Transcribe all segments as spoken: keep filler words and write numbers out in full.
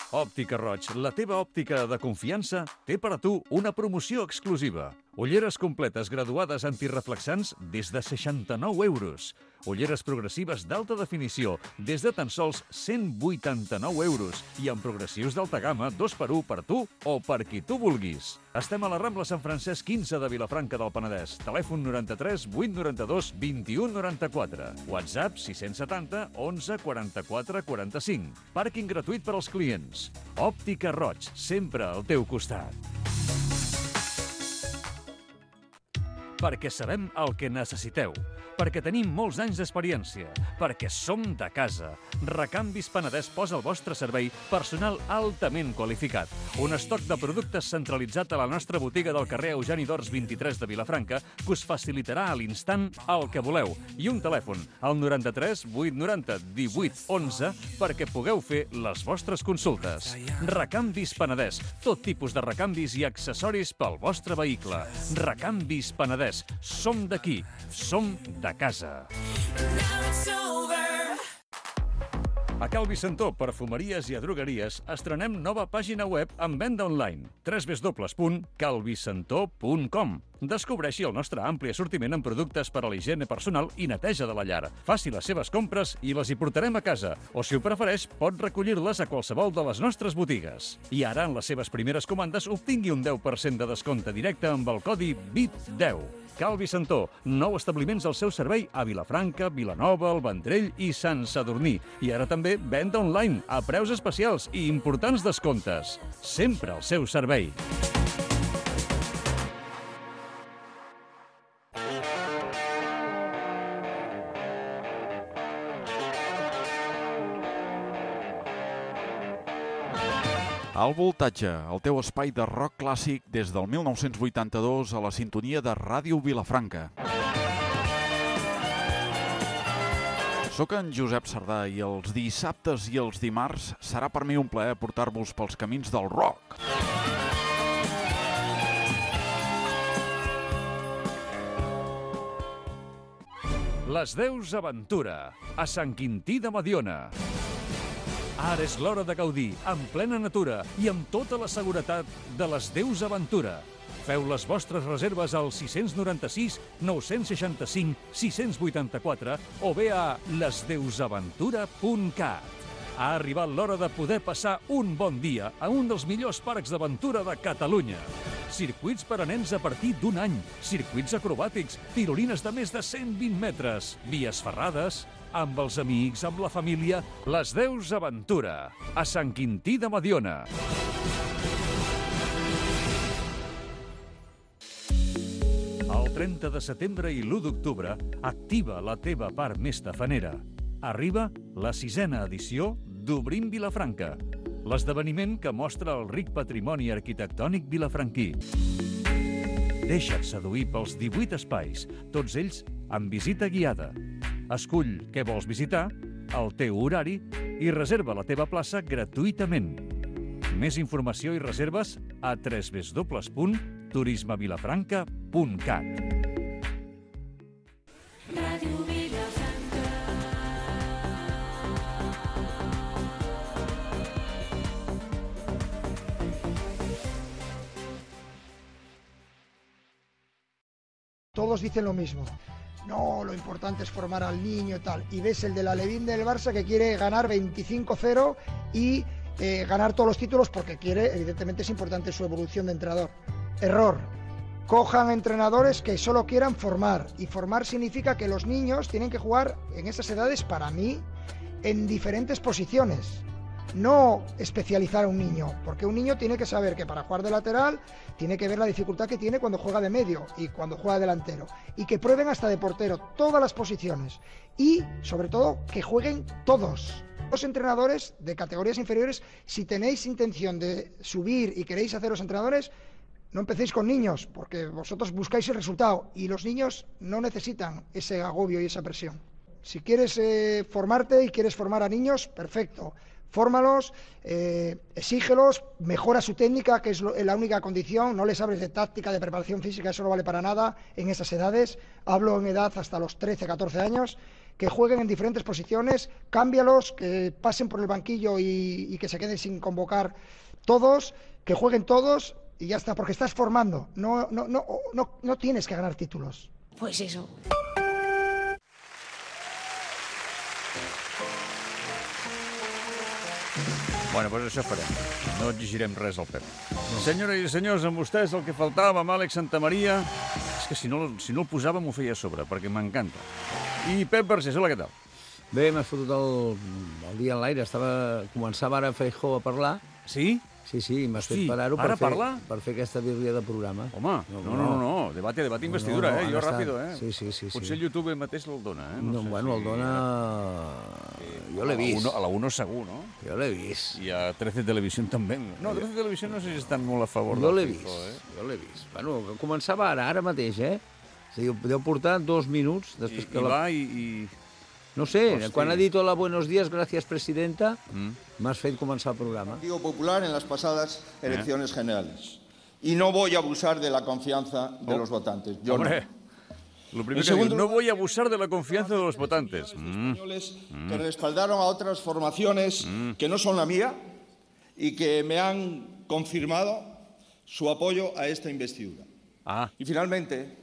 Òptica Roig, la teva òptica de confiança, té per a tu una promoció exclusiva. Ulleres completes graduades antireflexants des de seixanta-nou euros. Ulleres progressives d'alta definició des de tan sols cent vuitanta-nou euros i amb progressius d'alta gamma dos per u per tu o per qui tu vulguis. Estem a la Rambla Sant Francesc quinze de Vilafranca del Penedès. Telèfon noranta-tres vuit noranta-dos vint-i-u noranta-quatre. WhatsApp sis cents setanta onze quaranta-quatre quaranta-cinc. Pàrquing gratuït per als clients. Òptica Roig, sempre al teu costat. Perquè sabem el que necessiteu, perquè tenim molts anys d'experiència, perquè som de casa. Recanvis Penedès posa al vostre servei personal altament qualificat. Un estoc de productes centralitzat a la nostra botiga del carrer Eugeni d'Ors vint-i-tres de Vilafranca que us facilitarà a l'instant el que voleu. I un telèfon, al noranta-tres vuit noranta divuit onze, perquè pugueu fer les vostres consultes. Recanvis Penedès, tot tipus de recanvis i accessoris pel vostre vehicle. Recanvis Penedès. Som d'aquí, som de casa. A Cal Vicentó, perfumeries i a drogueries, estrenem nova pàgina web amb venda online. w w w punt cal vicentó punt com. Descobreixi el nostre ampli assortiment en productes per a la higiene personal i neteja de la llar. Faci les seves compres i les hi portarem a casa, o si ho prefereix, pot recollir-les a qualsevol de les nostres botigues. I ara, en les seves primeres comandes, obtingui un deu per cent de descompte directe amb el codi V I P deu. Cal Vicentó, nou establiments al seu servei a Vilafranca, Vilanova, el Vendrell i Sant Sadurní. I ara també venda online, a preus especials i importants descomptes. Sempre al seu servei. Al Voltatge, el teu espai de rock clàssic des del mil nou-cents vuitanta-dos a la sintonia de Ràdio Vilafranca. Soc en Josep Sardà i els dissabtes i els dimarts serà per mi un plaer portar-vos pels camins del rock. Les Deus Aventura, a Sant Quintí de Mediona. Ara és l'hora de gaudir, en plena natura i amb tota la seguretat de les Deus Aventura. Feu les vostres reserves al sis nou sis nou sis cinc sis vuit quatre o bé a les deus aventura punt cat. Ha arribat l'hora de poder passar un bon dia a un dels millors parcs d'aventura de Catalunya. Circuits per a nens a partir d'un any, circuits acrobàtics, tirolines de més de cent vint metres, vies ferrades, amb els amics, amb la família, les Deus Aventura, a Sant Quintí de Mediona. El trenta de setembre i l'u d'octubre, activa la teva part més tafanera. Arriba la sisena edició d'Obrim Vilafranca, l'esdeveniment que mostra el ric patrimoni arquitectònic vilafranquí. Deixa't seduir pels divuit espais, tots ells amb visita guiada. Escull què vols visitar, el teu horari i reserva la teva plaça gratuïtament. Més informació i reserves a w w w punt turisme vilafranca punt cat. Ràdio Vilafranca. Todos dicen lo mismo. No, lo importante es formar al niño y tal. Y ves el de la Alevín del Barça que quiere ganar veinticinco cero y eh, ganar todos los títulos porque quiere, evidentemente es importante su evolución de entrenador. Error. Cojan entrenadores que solo quieran formar. Y formar significa que los niños tienen que jugar en esas edades, para mí, en diferentes posiciones. No especializar a un niño, porque un niño tiene que saber que para jugar de lateral tiene que ver la dificultad que tiene cuando juega de medio y cuando juega de delantero, y que prueben hasta de portero todas las posiciones y sobre todo que jueguen todos. Los entrenadores de categorías inferiores, si tenéis intención de subir y queréis haceros entrenadores, no empecéis con niños, porque vosotros buscáis el resultado y los niños no necesitan ese agobio y esa presión. Si quieres eh, formarte y quieres formar a niños, perfecto. Fórmalos, eh, exígelos, mejora su técnica, que es lo, la única condición. No les hables de táctica, de preparación física, eso no vale para nada en esas edades. Hablo en edad hasta los trece, catorce años. que jueguen en diferentes posiciones, cámbialos, que pasen por el banquillo y, y que se queden sin convocar todos, que jueguen todos y ya está, porque estás formando, no, no, no, no, no tienes que ganar títulos. Pues eso. Bueno, doncs això farem. No exigirem res al Pep. No. Senyores i senyors, amb vostès el que faltava, amb Àlex Santamaria... És que si no, si no el posava m'ho feia a sobre, perquè m'encanta. I Pep Vergés, hola, què tal? Bé, m'has fotut el, el dia en l'aire. Estava... Començava ara Feijóo a parlar. Sí? Sí, sí, m'has fet Hosti, parar-ho per, ara fer, parlar? per fer aquesta birria de programa. Home, no, no, no, no. debate, debate investidura, no, no, eh? Jo ara ràpido, està- eh? sí, sí, sí, Potser sí. el YouTube mateix el dona, eh? No, sé bueno, si- el dona... Jo l'he vist. A la uno segur, no? Jo l'he vist. I a trece Televisión també. No, trece Televisión no sé si estan molt a favor Jo del l'he vist, Feijóo, eh? jo l'he vist. Bueno, començava ara, ara mateix, eh? És a dir, deu portar dos minuts I, després i que la... va i... i... No sé, Hosti. quan ha dit hola, buenos días, gracias, presidenta, Mm. m'has fet començar el programa. Partido Popular en las pasadas elecciones generales. Y no voy a abusar de la confianza de los votantes. Yo Hombre, no. lo primero En que digo, segundo no lugar, voy a abusar de la confianza de los votantes. Mm. Españoles que respaldaron a otras formaciones que no son la mía y que me han confirmado su apoyo a esta investidura. Ah, Y finalmente,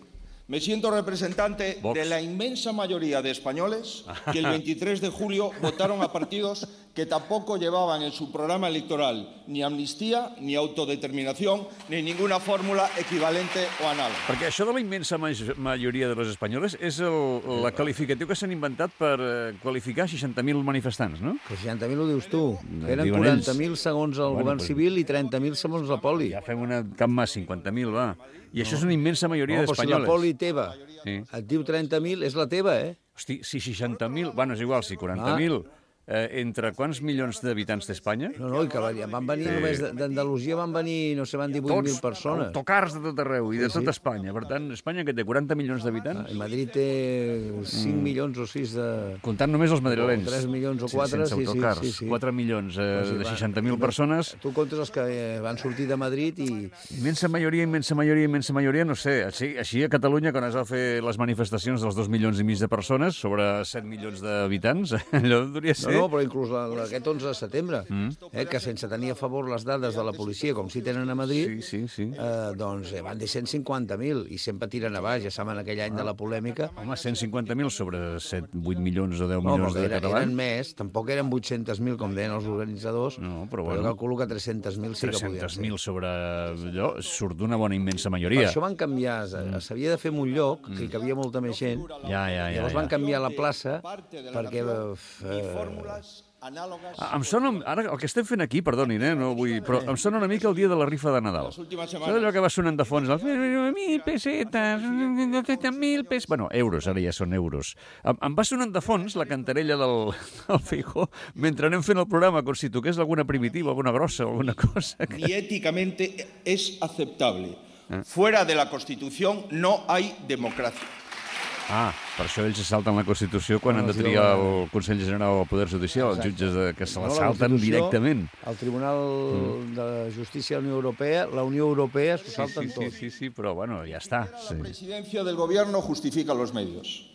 me siento representante Vox. de la inmensa mayoría de españoles que el veintitrés de julio votaron a partidos que tampoco llevaban en su programa electoral ni amnistía, ni autodeterminación, ni ninguna fórmula equivalente o análoga. perquè això de la immensa maj- majoria de los espanyoles és el, la qualificatiu que s'han inventat per eh, qualificar seixanta mil manifestants, no? Que seixanta mil ho dius tu. Eren diuen quaranta ells. mil segons el Bueno, govern pues- civil i trenta mil segons la poli. Ja fem una cap más, cinquanta mil, va. I això és una immensa majoria No, però si la d'espanyoles. poli teva Sí. et diu trenta mil, és la teva, eh? Hosti, si seixanta mil... Bueno, és igual, si quaranta mil... Eh, entre quants milions d'habitants té Espanya? No, no, i que van van venir només de- d'Andalusia, van venir, no sé, van divuit mil persones. autocars de tot arreu i de Sí, tot sí. Espanya. Per tant, Espanya, que té quaranta milions d'habitants, I Madrid té cinc milions o sis de... comptant només els madrilenys. O tres milions o quatre, sense sí, sí, autocars. sí, sí. quatre milions eh, Pues sí, de va. seixanta mil persones. Tu comptes els que eh, van sortir de Madrid i... Immensa majoria, immensa majoria, immensa majoria, no sé. Així, així a Catalunya, quan es va fer les manifestacions dels dos milions i mig de persones sobre set milions d'habitants, allò podria No, ser... no, però inclús la, la, aquest onze de setembre, eh, que sense tenir a favor les dades de la policia, com si tenen a Madrid, Sí, sí, sí. eh, doncs eh, van dir cent cinquanta mil i sempre tiren a baix, ja saben aquell any de la polèmica. Home, cent cinquanta mil sobre set, vuit milions o deu No, milions però de eren, catalans. eren més, tampoc eren vuit-cents mil, com deien els organitzadors, No, però jo bueno. calculo que tres-cents mil sí que podien tres-cents ser. mil sobre allò surt d'una bona immensa Per majoria. això van canviar, eh, s'havia de fer en un lloc que hi cabia molta més gent, Ja, ja, ja. llavors ja. van canviar la plaça Parte de la perquè... nación Eh, y fórmulas análogas. Ah, Em sona, ara el que estem fent aquí, perdonin, eh, no vull, però em sona una mica el dia de la rifa de Nadal. Las últimas Saps semanas. allò que va sonant de fons? El... Mil pessetes, mil pessetes... Bueno, euros, ara ja són euros. Em, em va sonant de fons la cantarella del, del Feijóo mentre anem fent el programa, com si toqués alguna primitiva, alguna grossa, alguna cosa. Que... Ni éticamente es aceptable. Fuera de la Constitución no hay democracia. Ah, per això ells se salten la Constitució quan No, han de sí, triar no. el Consell General del Poder Judicial, els jutges de, que se la No, la salten Constitució, directament. El Tribunal de Justícia de la Unió Europea, la Unió Europea s'ho Sí, salten sí, sí, tot. sí, sí, però bueno, ja està. La Sí. presidencia del gobierno justifica los medios.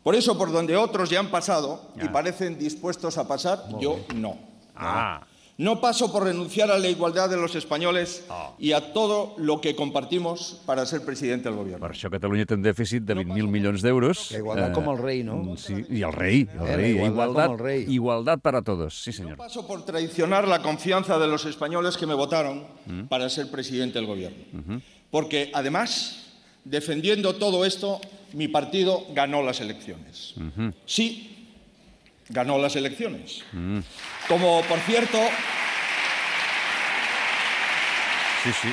Por eso, por donde otros ya han pasado y Ah. parecen dispuestos a pasar, yo no. Ah, No paso por renunciar a la igualdad de los españoles y a todo lo que compartimos para ser presidente del gobierno. per això Catalunya té un dèficit de vint mil milions d'euros. La igualtat com el rei, no? Sí, i el rei, el Eh, la rei. igualtat Igualtat, com el rei. igualtat para todos, sí senyor. No paso por traicionar la confianza de los españoles que me votaron para ser presidente del gobierno. Porque, además, defendiendo todo esto, mi partido ganó las elecciones. Sí, ganó las elecciones. Como, por cierto, Sí, sí.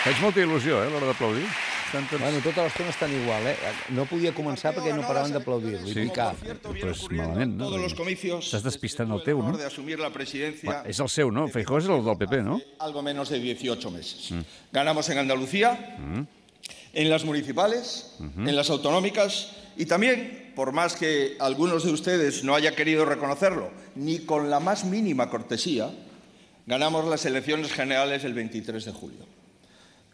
Faig molta il·lusió, eh, a l'hora d'aplaudir. Estan tots... Bueno, tota l'estona estan igual, eh? No podia començar perquè no paraven d'aplaudir-lo i Sí. picar. Pues malament, no? todos los comicios Estàs despistant el teu, no? de asumir la presidencia Va, és el seu, no? Feijóo és el del P P, no? algo menos de dieciocho meses. Ganamos en Andalucía, en las municipales, en las autonómicas y también, por más que algunos de ustedes no haya querido reconocerlo, ni con la más mínima cortesía, ganamos las elecciones generales el veintitrés de julio.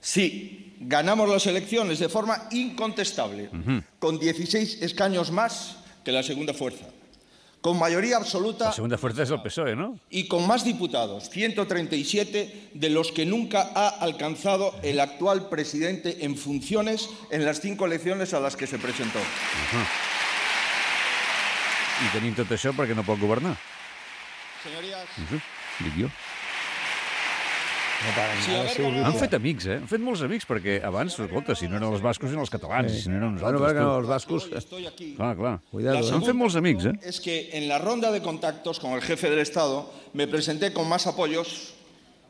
Sí, ganamos las elecciones de forma incontestable, con dieciséis escaños más que la segunda fuerza, con mayoría absoluta. La segunda fuerza es el P S O E, ¿no? Y con más diputados, ciento treinta y siete, de los que nunca ha alcanzado el actual presidente en funciones en las cinco elecciones a las que se presentó. Uh-huh. I tenim tot això perquè no pot governar. Señorías... Uh-huh. Dic jo. No para Sí, nada, a ver, Silvio. Han fet amics, eh? Han fet molts amics, perquè abans, escolta, si no eren els bascos, eren els catalans, i si no eren Bueno, nosaltres. perquè tu. els bascos... Estoy aquí. Clar, clar. Cuidado, La Han fet molts amics, eh? Es que en la ronda de contactos con el jefe del Estado me presenté con más apoyos,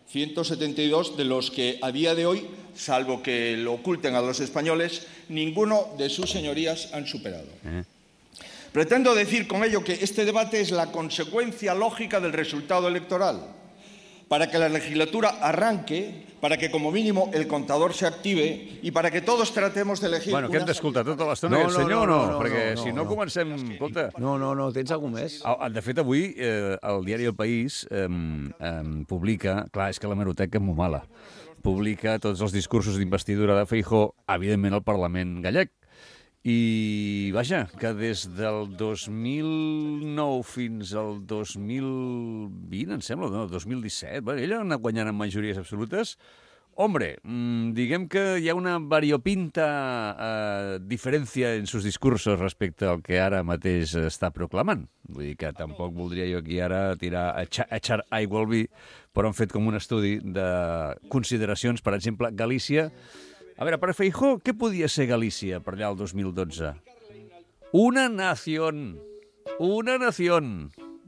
ciento setenta y dos, de los que a día de hoy, salvo que lo oculten a los españoles, ninguno de sus señorías han superado. Eh. Pretendo decir con ello que este debate es la consecuencia lógica del resultado electoral. Para que la legislatura arranque, para que como mínimo el contador se active y para que todos tratemos de elegir... Bueno, que hem una d'escoltar tota l'estona No, aquest no, senyor o no, no? no, no, Perquè no, si no, no. comencem... Escolta, No, no, no, tens alguna més? Ah, de fet, avui eh, el diari El País eh, eh, publica... Clar, és que l'hemeroteca és molt mala. Publica tots els discursos d'investidura de Feijóo, evidentment al Parlament gallec. I, vaja, que des del dos mil nou fins al dos mil vint, em sembla, no, dos mil disset, bueno, ell ha anat guanyant en majories absolutes. Hombre, mmm, diguem que hi ha una variopinta eh, diferència en sus discursos respecte al que ara mateix està proclamant. Vull dir que tampoc voldria jo aquí ara tirar a echar aigua al vi, però han fet com un estudi de consideracions. Per exemple, Galícia... A veure, per Feijóo, què podia ser Galícia per allà el dos mil dotze? Una nació. Una nació.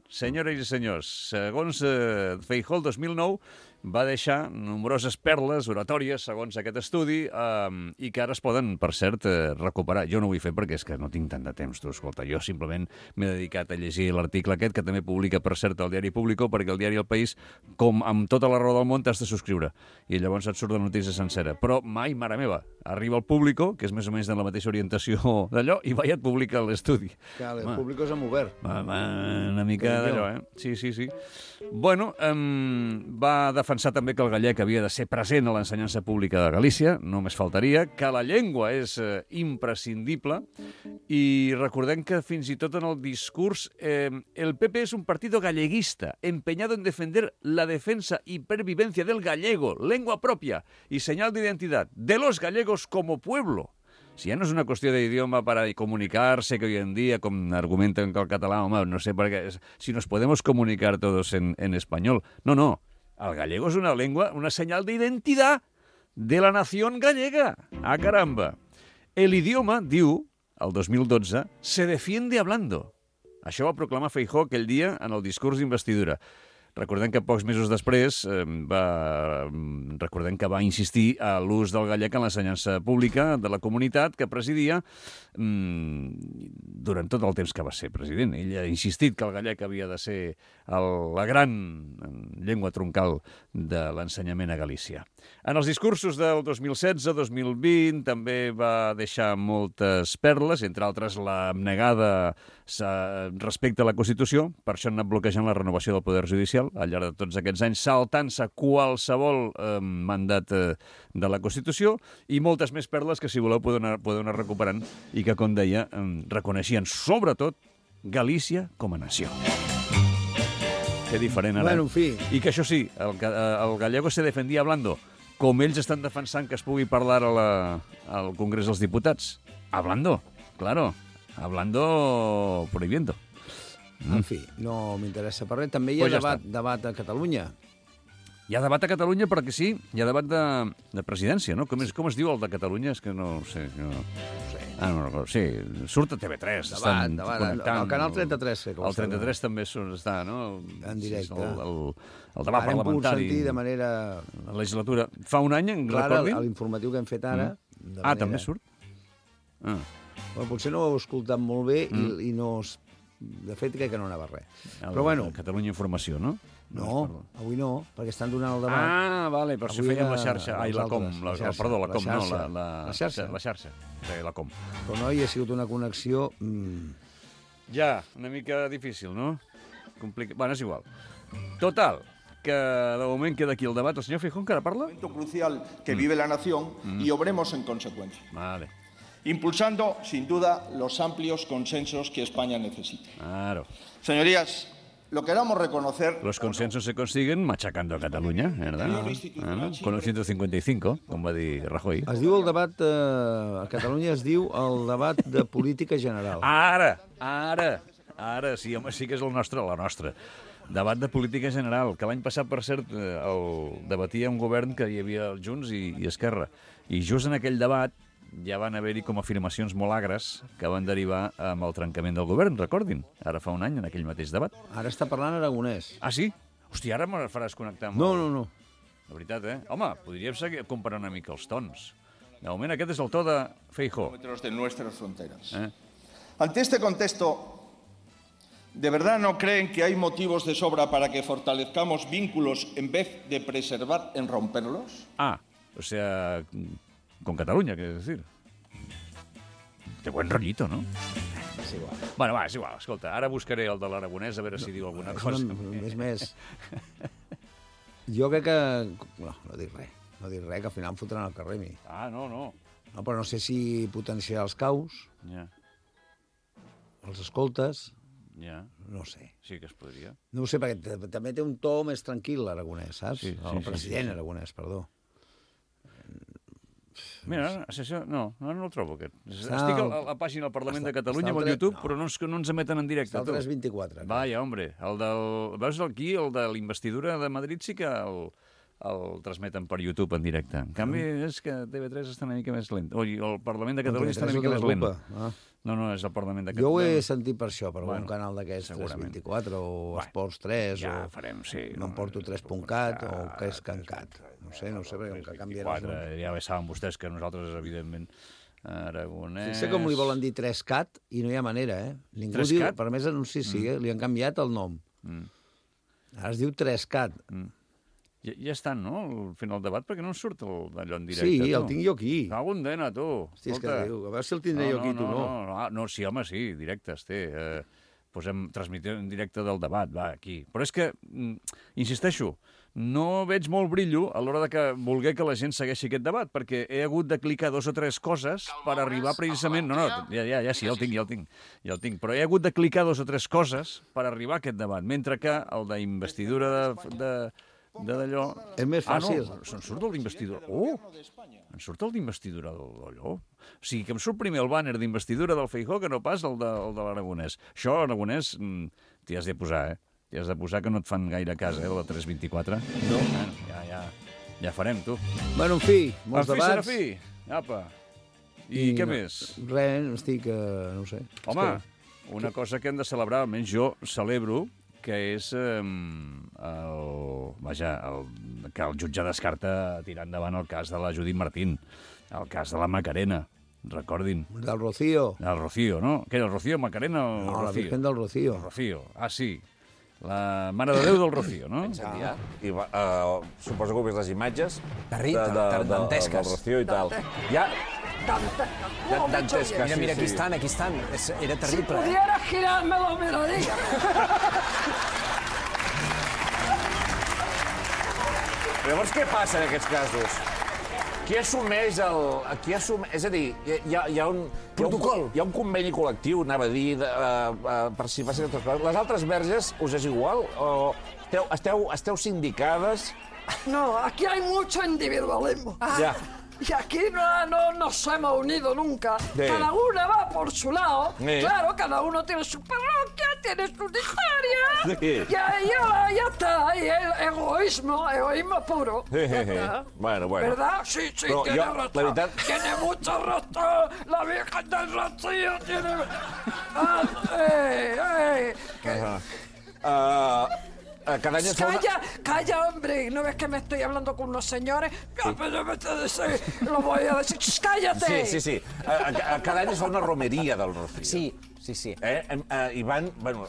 Senyores i senyors, segons eh, Feijóo, el dos mil nou va deixar nombroses perles oratòries, segons aquest estudi, eh, i que ara es poden, per cert, eh, recuperar. Jo no ho vull fer perquè és que no tinc tant de temps, tu, escolta. Jo simplement m'he dedicat a llegir l'article aquest, que també publica, per cert, el diari Público, perquè el diari El País, com amb tota la raó del món, t'has de subscriure. I llavors et surt la notícia sencera. Però mai, mare meva, arriba el Público, que és més o menys de la mateixa orientació d'allò, i va i et publica l'estudi. Que el Público és amb obert. Va, va, una mica d'allò, eh? Sí, sí, sí. Bueno, eh, va defensar també que el gallec havia de ser present a l'ensenyança pública de Galícia, només faltaria, que la llengua és eh, imprescindible, i recordem que fins i tot en el discurs eh, el P P és un partido galleguista, empeñado en defender la defensa y pervivencia del gallego, lengua propia y señal de identidad de los gallegos como pueblo. Si ja no és una qüestió d'idioma para comunicarse, que hoy en día, com argumenten que el català, home, no sé per què, si nos podemos comunicar todos en, en español. No, no, el gallego és una lengua, una señal de identidad de la nación gallega. Ah, caramba. El idioma, diu, el dos mil dotze, se defiende hablando. Això va proclamar Feijóo aquell dia en el discurs d'investidura. Recordem que pocs mesos després eh, va, recordem que va insistir a l'ús del gallec en l'ensenyança pública de la comunitat que presidia mmm, durant tot el temps que va ser president. Ell ha insistit que el gallec havia de ser el, la gran llengua troncal de l'ensenyament a Galícia. En els discursos del dos mil setze dos mil vint també va deixar moltes perles, entre altres l'abnegada respecte a la Constitució, per això han anat bloquejant la renovació del Poder Judicial al llarg de tots aquests anys, saltant-se qualsevol eh, mandat eh, de la Constitució, i moltes més perles que, si voleu, podeu anar, podeu anar recuperant i que, com deia, eh, reconeixien sobretot Galícia com a nació. Que diferent ara. Bueno, en fi. I que això sí, el, el gallego se defendia hablando, com ells estan defensant que es pugui parlar a la, al Congrés dels Diputats. Hablando, claro. Hablando prohibiendo. En fi, no m'interessa per res. També hi ha Pues ja debat, està. debat a Catalunya. Hi ha debat a Catalunya perquè sí, hi ha debat de, de presidència, no? Com es, com es diu el de Catalunya? És que no ho sé. No... Ah, no, no, sí, surt a T V tres. Debat, estan debat. connectant. El canal trenta-tres, sé que ho El està trenta-tres també surt, està, no? En directe. El, el, el debat Ara hem pogut parlamentari. sentir de manera... La legislatura. Fa un any, en Clara, recordi? l'informatiu que hem fet ara... Mm. de Ah, manera- també surt? Ah. Bueno, potser no ho heu escoltat molt bé i, Mm. i no... es- De fet, crec que no anava res. El, Però bueno, Catalunya Informació, no? no, avui no, perquè estan donant el debat. Ah, vale, per això Avui fèiem la a- xarxa. Ai, la com, nosaltres, la, la xarxa, perdó, la la com, no, xarxa. la, la, La xarxa. La xarxa, sí, la com. Però no, hi ha sigut una connexió... Mm, Ja, una mica difícil, no? Complica... Bueno, és igual. Total, que de moment queda aquí el debat. El senyor Feijóo encara parla? Momento crucial que vive la nación y obremos en consecuencia. Vale. impulsando, sin duda, los amplios consensos que España necesita. Claro. Señorías, lo queramos reconocer... Los consensos se consiguen machacando a Catalunya, ¿verdad? Ah, con el ciento cincuenta y cinco, com va dir Rajoy. Es diu el debat... Eh, a Catalunya es diu el debat de política general. Ara, ara, ara, sí, home, sí que és el nostre, la nostra. Debat de política general, que l'any passat, per cert, el debatia un govern que hi havia Junts i, i Esquerra. I just en aquell debat ja van haver-hi com afirmacions molt agres que van derivar amb el trencament del govern, recordin, ara fa un any, en aquell mateix debat. Ara està parlant aragonès. Ah, sí? Hòstia, ara me faràs connectar amb... No, no, no. La veritat, eh? Home, podríem seguir comparant una mica els tons. De moment, aquest és el to de Feijóo. ...de nuestras fronteras. Eh? Ante este contexto, ¿de verdad no creen que hay motivos de sobra para que fortalezcamos vínculos en vez de preservar en romperlos? Ah, o sea, con Cataluña, quiero decir. De buen rollito, ¿no? És igual. Bueno, va, és igual. Escolta, ara buscaré el de l'aragonès a veure si diu alguna cosa. És més... Jo crec que... No, no dic res. No dic res, que al final em fotran al carrer, mi. Ah, no, no. No, però no sé si potenciar els caus, Ja, els escoltes, ja. no sé. Sí que es podria. No ho sé, perquè t- també té un to més tranquil, l'aragonès, saps? Sí, sí, el sí, president sí, sí. aragonès, perdó. Mira, això, no, no, no el trobo, aquest. Està Estic a al- la, a la pàgina del Parlament està- de Catalunya està amb al el tre- YouTube, no. però no ens, no ens emeten en directe. Està al tu. tres vint-i-quatre. Vaja, hombre, el del... Veus aquí, el de l'investidura de Madrid sí que el, el transmeten per YouTube en directe. En canvi, és que T V tres està una mica més lent. Oi, el Parlament de Catalunya està una mica més lent. Ah. No, no, és el Parlament de Jo ho Catalunya. he sentit per això, per Bueno, un canal d'aquests tres segurament. vint-i-quatre o Bueno, Esports tres ja o farem, sí. m'emporto tres punt cat o que és cancat. No sé, no sé, perquè com que canviarà el nom. quatre, ja bé saben vostès que nosaltres, evidentment, aragonès... Sé com li volen dir tres cat i no hi ha manera, eh? Ningú tres diu, cat? per més anuncis, sí, eh? Li han canviat el nom. Mm. Ara es diu tres cat. Mm. Ja, ja estan, no?, al final del debat, perquè no en surt el- d'allò en directe. Sí, tu. el tinc jo aquí. Cago en dena, tu. Hosti, és que Escolta. diu, a veure si el tindré jo aquí, tu no. No, no, no, sí, home, sí, directe es té. Eh, posem, transmitir en directe del debat, va, aquí. Però és que, mm, insisteixo, no veig molt brillo a l'hora de que voler que la gent segueixi aquest debat, perquè he hagut de clicar dos o tres coses per arribar precisament... No, no, ja, ja, ja sí, ja el tinc, ja el tinc, ja el tinc. Però he hagut de clicar dos o tres coses per arribar a aquest debat, mentre que el d'investidura de... de de d'allò... És més fàcil. Ah, no, se'n surt el d'investidura. Oh! Em surt el d'investidura d'allò. O sigui, que em surt primer el bàner d'investidura del Feijóo que no pas el de, el de l'aragonès. Això, l'aragonès, mm, t'hi has de posar, eh? T'hi has de posar que no et fan gaire cas, eh, de la tres vint-i-quatre. No. Bueno, ja, ja, ja farem, tu. Bueno, en fi, molts En fi, debats. Serafí, apa. I, I què no, més? Res, estic, eh, no ho sé. Home, És una cosa que hem de celebrar, almenys jo celebro, que és eh, el, vaja, el, que el jutge descarta tirar endavant el cas de la Judit Martín, el cas de la Macarena, recordin. que... Del Rocío. El Rocío, no? Què era, el Rocío, Macarena o el No, la Rocío? Virgen del Rocío. El Rocío, ah, sí. La Mare de Déu del Rocío, no? Ah. I va, uh, suposo que heu vist les imatges Terri- de, de, de, de, dantesques. del Rocío i tal. Ja, Oh, dantesques, Mira, sí, mira, aquí sí. estan, aquí estan. És, era terrible. eh? pudiera girarme lo miraría. Llavors, què passa en aquests casos? Qui assumeix el... Qui assum... És a dir, hi ha, hi ha un... Protocol. Hi ha un, hi ha un conveni col·lectiu, anava a dir, de, uh, uh, per si passin altres coses. Les altres verges us és igual? O esteu, esteu, esteu sindicades? No, aquí hay mucho individualismo. Ja. Y aquí no, no nos hemos unido nunca. Sí. Cada una va por su lado. Sí. Claro, cada uno tiene su parroquia, tiene su historia. Sí. Y ahí ya, ya está. Y el egoísmo, egoísmo puro. Sí, Ya sí, sí. está. Bueno, bueno. ¿Verdad? Sí, sí, Pero tiene yo, razón. la verdad- Tiene mucho razón. La Virgen del Rocío tiene... Ah, eh, eh. Uh, uh, cada any es fa una... Calla, calla, hombre. ¿No ves que me estoy hablando con unos señores? Ya, pero yo me te decir, lo voy a decir. ¡Shh, cállate! Sí, sí, sí. Uh, cada any es fa una romeria del Rocío. Sí, sí, sí. Eh? Uh, I van, bueno,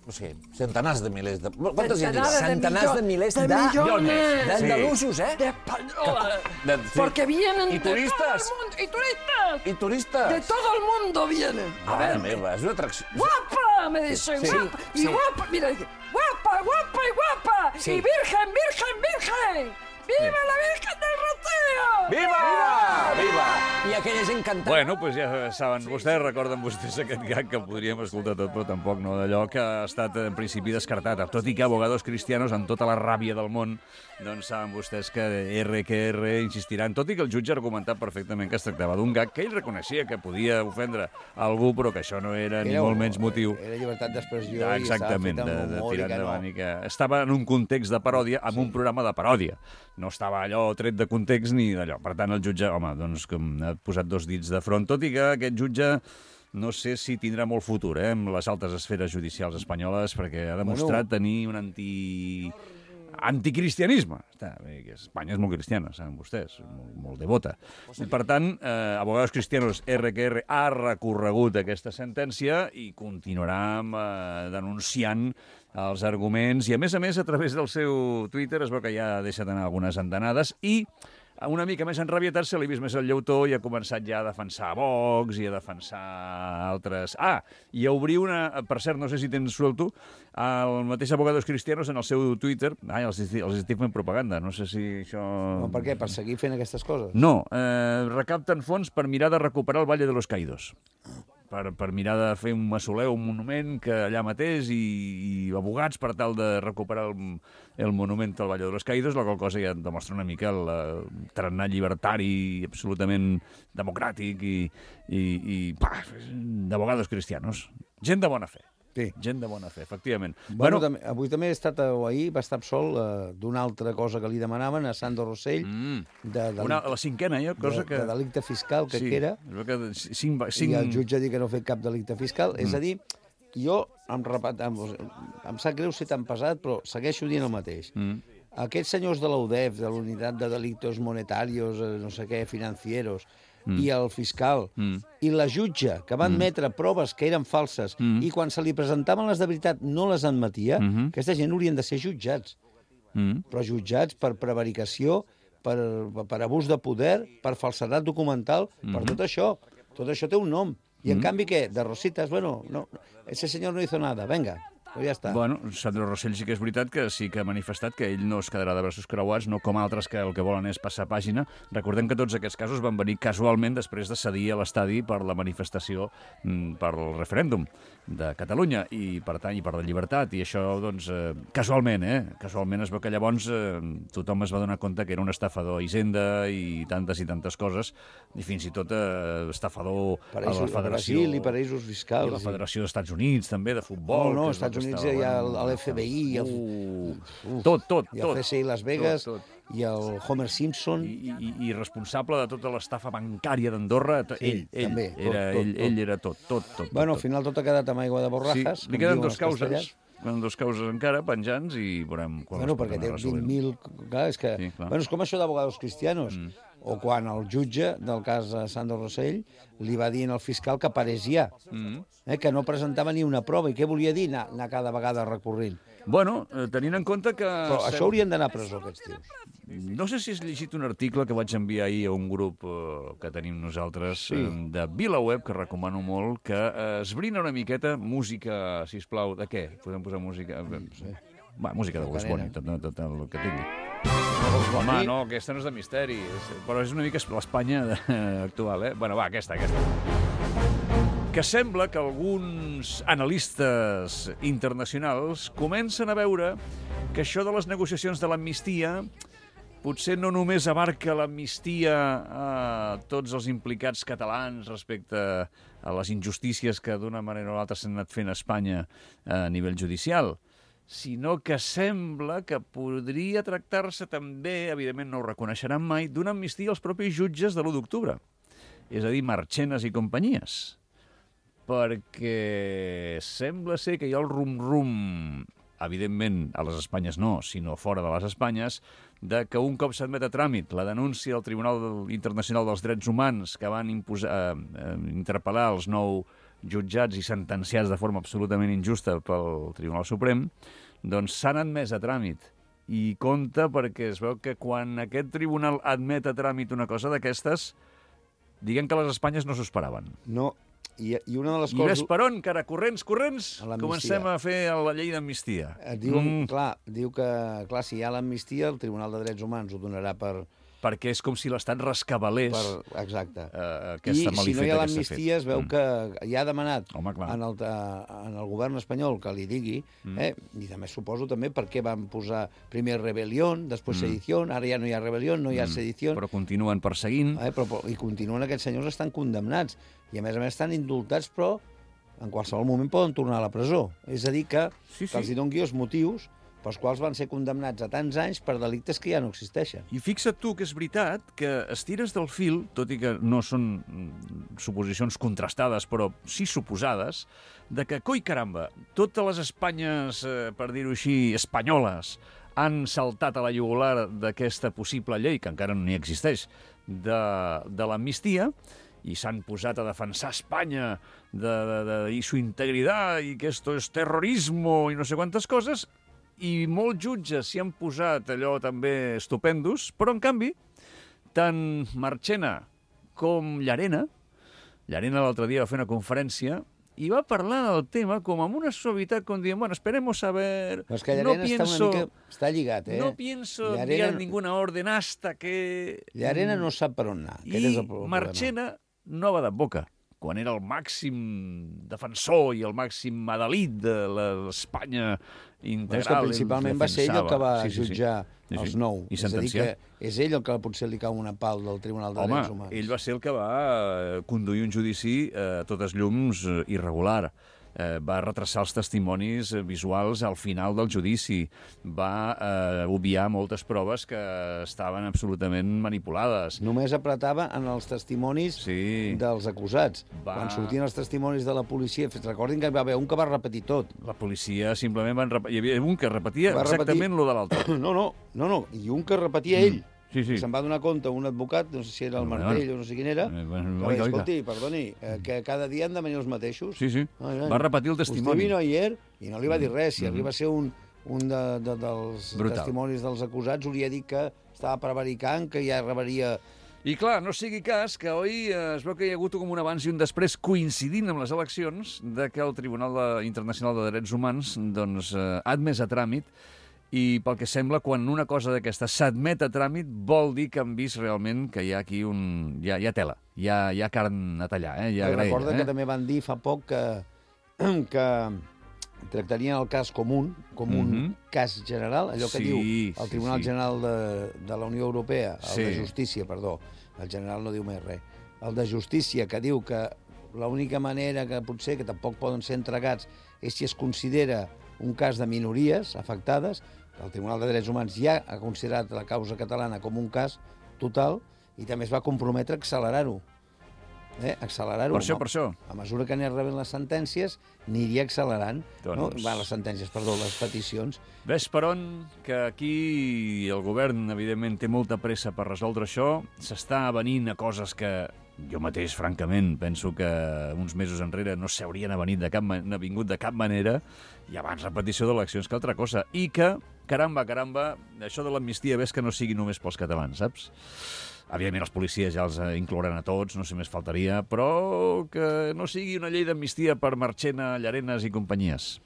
no sé, centenars de milers de... Quantes hi ha? Centenares de Centenars de millo- milers de de- millones D'andalusos, eh? de españoles. De- sí. Porque vienen Y de todo el turistas. mundo. Y turistas. I turistes. De todo el mundo vienen. A Mare ver, meva, és una atracció. guapa, me dicen, Sí, guapa. Y sí. guapa, mira, guapa, guapa y guapa. Sí. Y virgen, virgen, virgen. ¡Viva la Virgen del Rocío! Viva! Viva! I aquella gent cantant. Bueno, doncs ja saben, vostès recorden vostès aquest gag que podríem escoltar tot, però tampoc no, d'allò que ha estat en principi descartat. Tot i que abogados cristianos, amb tota la ràbia del món, doncs saben vostès que R que R insistiran, tot i que el jutge ha argumentat perfectament que es tractava d'un gag que ell reconeixia que podia ofendre algú, però que això no era, era ni molt menys motiu. Era llibertat d'expressió ja, i estava fet de, amb de humor tirar i que endavant no. I que estava en un context de paròdia, amb sí. un programa de paròdia. No estava allò tret de context ni d'allò. Per tant, el jutge, home, doncs com ha posat dos dits de front, tot i que aquest jutge no sé si tindrà molt futur eh, amb les altes esferes judicials espanyoles, perquè ha demostrat bueno. tenir un anti... anticristianisme. Està bé, que Espanya és molt cristiana, saben vostès, molt, molt devota. I, per tant, eh, Abogados Cristianos R que R ha recorregut aquesta sentència i continuarà eh, denunciant els arguments i, a més a més, a través del seu Twitter es veu que ja ha deixat anar algunes andanades i una mica més enrabietat se li ha vist més el lleutó i ha començat ja a defensar Vox i a defensar altres... Ah, i a obrir una... Per cert, no sé si tens suelto, el mateix Abogados Cristianos en el seu Twitter... Ai, els, els estic fent propaganda, no sé si això... No, per què? Per seguir fent aquestes coses? No, eh, recapten fons per mirar de recuperar el Valle de los Caídos. Per, per mirar de fer un mausoleu, un monument que allà mateix i, i abogats per tal de recuperar el, el monument al Valle de los Caídos, la qual cosa ja demostra una mica el, el tarannà llibertari absolutament democràtic i, i, i pah, d'abogados cristianos. Gent de bona fe. Sí. Gent de bona fe, efectivament. Bueno, bueno també, avui també he estat, o ahir, va estar absolt eh, d'una altra cosa que li demanaven a Sandro Rossell. Mm. De, de, una, la cinquena, ja, cosa de, que... De delicte fiscal, que, sí, que era. Que cinc, cinc... I el jutge ha dit que no ha fet cap delicte fiscal. Mm. És a dir, jo, em, repat, em, em sap greu ser tan pesat, però segueixo dient el mateix. Mm. Aquests senyors de la U D E F, de la Unitat de Delictos Monetarios, no sé què, financieros, Mm. i el fiscal, mm. i la jutge, que va admetre mm. proves que eren falses, mm. i quan se li presentaven les de veritat no les admetia, mm -hmm. aquesta gent haurien de ser jutjats. Mm. Però jutjats per prevaricació, per, per abús de poder, per falsedat documental, mm -hmm. per tot això. Tot això té un nom. I, en mm. canvi, què? De Rositas, bueno, no, ese senyor no hizo nada, venga. Però ja està. Bueno, Sandro Rossell sí que és veritat que sí que ha manifestat que ell no es quedarà de braços creuats, no com altres que el que volen és passar pàgina. Recordem que tots aquests casos van venir casualment després de cedir a l'estadi per la manifestació per el referèndum de Catalunya i, per tant, i per la llibertat. I això, doncs, eh, casualment, eh? Casualment es veu que llavors eh, tothom es va donar compte que era un estafador a Hisenda i tantes i tantes coses, i fins i tot eh, estafador paraïsos, a la Federació... Brasil i paraïsos fiscals. I la Federació dels Estats Units, també, de futbol. No, no, als Estats Units hi ha l'F B I, el... Uh, tot, tot, i el C S I Las Vegas, tot, tot. I el Homer Simpson. I, i, i responsable de tota l'estafa bancària d'Andorra, sí, ell, ell, també, tot, era, tot, ell, tot. ell era tot, tot, tot. Bueno, tot. al final tot ha quedat amb aigua de borrajas. Sí, li queden dos causes, queden dos causes encara, penjants, i veurem quan bueno, perquè té vint mil... Clar, és que... Sí, clar. Bueno, és com això d'abogados cristianos. Mm. O quan el jutge del cas de Sandro Rossell li va dir al fiscal que parés ja, mm. eh, que no presentava ni una prova. I què volia dir anar, anar cada vegada recorrent? Bueno, eh, tenint en compte que... Però això haurien d'anar a presó, aquests tios. No sé si has llegit un article que vaig enviar ahir a un grup eh, que tenim nosaltres, sí. eh, de VilaWeb, que recomano molt, que eh, esbrina una miqueta música, sisplau, de què? Podem posar música... Sí. Va, música de Bugs Bunny, tot, tot, tot el que tingui. Home, no, aquesta no és de misteri, però és una mica l'Espanya actual, eh? Bueno, va, aquesta, aquesta. Que sembla que alguns analistes internacionals comencen a veure que això de les negociacions de l'amnistia potser no només abarca l'amnistia a tots els implicats catalans respecte a les injustícies que d'una manera o l'altra s'han anat fent a Espanya a nivell judicial, sinó que sembla que podria tractar-se també, evidentment no ho reconeixeran mai, d'una amnistia als propis jutges de l'u d'octubre. És a dir, Marchenes i companyies. Perquè sembla ser que hi ha el rum-rum, evidentment a les Espanyes no, sinó fora de les Espanyes, de que un cop s'admet a tràmit la denúncia del Tribunal Internacional dels Drets Humans que van imposar, eh, interpel·lar els nou jutjats i sentenciats de forma absolutament injusta pel Tribunal Suprem, doncs s'han admès a tràmit. I compte perquè es veu que quan aquest tribunal admet a tràmit una cosa d'aquestes, diguem que les Espanyes no s'ho esperaven. No, i, i una de les I coses... ves per on, cara, corrents, corrents, comencem a fer la llei d'amnistia. Diu, mm. clar, diu que, clar, si hi ha l'amnistia, el Tribunal de Drets Humans ho donarà per, perquè és com si l'Estat rescabalés Per, exacte. uh, I aquesta si malifeta no hi ha que s'ha fet. l'amnistia, es veu Mm. que ja ha demanat Home, clar. en el, en el govern espanyol que li digui, Mm. eh, i també suposo també per què van posar primer rebel·lió, després Mm. sedició, ara ja no hi ha rebel·lió, no hi ha Mm. sedició, Però continuen perseguint. eh, però, però, i continuen aquests senyors estan condemnats, i a més a més estan indultats, però en qualsevol moment poden tornar a la presó. És a dir, que, Sí, sí. que els hi doni els motius pels quals van ser condemnats a tants anys per delictes que ja no existeixen. I fixa't tu que és veritat que estires del fil, tot i que no són mm, suposicions contrastades, però sí suposades, de que, coi caramba, totes les Espanyes, eh, per dir-ho així, espanyoles, han saltat a la jugular d'aquesta possible llei, que encara no n'hi existeix, de, de l'amnistia, i s'han posat a defensar Espanya de, de, de, i su integritat, i que esto es terrorismo, i no sé quantes coses, i molts jutges s'hi han posat allò també estupendos, però en canvi, tant Marchena com Llarena, Llarena l'altre dia va fer una conferència i va parlar del tema com amb una suavitat, com dient, bueno, esperemos a ver, Però és que no Llarena pienso, està una mica... Està lligat, eh? no pienso Llarena- enviar ninguna orden hasta que... Llarena no sap per on anar. Aquest és I el problema. Marchena no va de boca, quan era el màxim defensor i el màxim adalid de l'Espanya Però és que integral. principalment va ser ell el que va sí, sí, jutjar sí, sí. els nou. I és a dir, sentenciar. que és ell el que potser li cau una pal del Tribunal de Home, Drets Humans. ell va ser el que va eh, conduir un judici eh, a totes llums eh, irregular. Eh, va retrasar els testimonis eh, visuals al final del judici. Va eh, obviar moltes proves que estaven absolutament manipulades. Només apretava en els testimonis Sí. dels acusats. Va- Quan sortien els testimonis de la policia, recordin que hi va haver un que va repetir tot. La policia simplement van... Rep... Hi havia un que repetia Va exactament repetir- lo de l'altre. No, no, no, no, i un que repetia ell. Sí, sí. Se'n va donar compte un advocat, no sé si era el Bueno, Martell o no sé quin era, Eh, que bueno, va dir, oiga, oiga. escolti, perdoni, eh, que cada dia han de venir els mateixos. Sí, sí. Ai, ai. Va repetir el Usted testimoni. vino ayer i no li va dir res. Si Mhm. arriba a ser un, un de, de, dels Brutal. testimonis dels acusats, hauria dit que estava prevaricant, que ja rebaria... I clar, no sigui cas que avui eh, es veu que hi ha hagut com un abans i un després coincidint amb les eleccions de que el Tribunal de, Internacional de Drets Humans doncs, eh, ha admès a tràmit i pel que sembla, quan una cosa d'aquesta s'admet a tràmit, vol dir que han vist realment que hi ha aquí un... Hi ha, hi ha tela, hi ha, hi ha carn a tallar, eh? hi ha I graella. recorda Eh? que també van dir fa poc que, que tractarien el cas com un, com un Mhm. cas general, allò que Sí, diu sí, el Tribunal sí. General de, de la Unió Europea, el Sí. de Justícia, perdó, el general no diu més res, el de Justícia, que diu que l'única manera que potser, que tampoc poden ser entregats, és si es considera un cas de minories afectades. El Tribunal de Drets Humans ja ha considerat la causa catalana com un cas total i també es va comprometre a accelerar-ho. Eh? Accelerar-ho. Per això, A- per això. A mesura que anés rebent les sentències, aniria accelerant. Doncs- No? Va, les sentències, perdó, les peticions. Ves per on que aquí el govern, evidentment, té molta pressa per resoldre això. S'està avenint a coses que jo mateix, francament, penso que uns mesos enrere no s'haurien avenit de cap, ma- avingut de cap manera, i abans repetició d'eleccions que altra cosa. I que, caramba, caramba, això de l'amnistia ves que no sigui només pels catalans, saps? Evidentment, els policies ja els eh, inclouran a tots, no sé més faltaria, però que no sigui una llei d'amnistia per Marchena, Llarenas i companyies.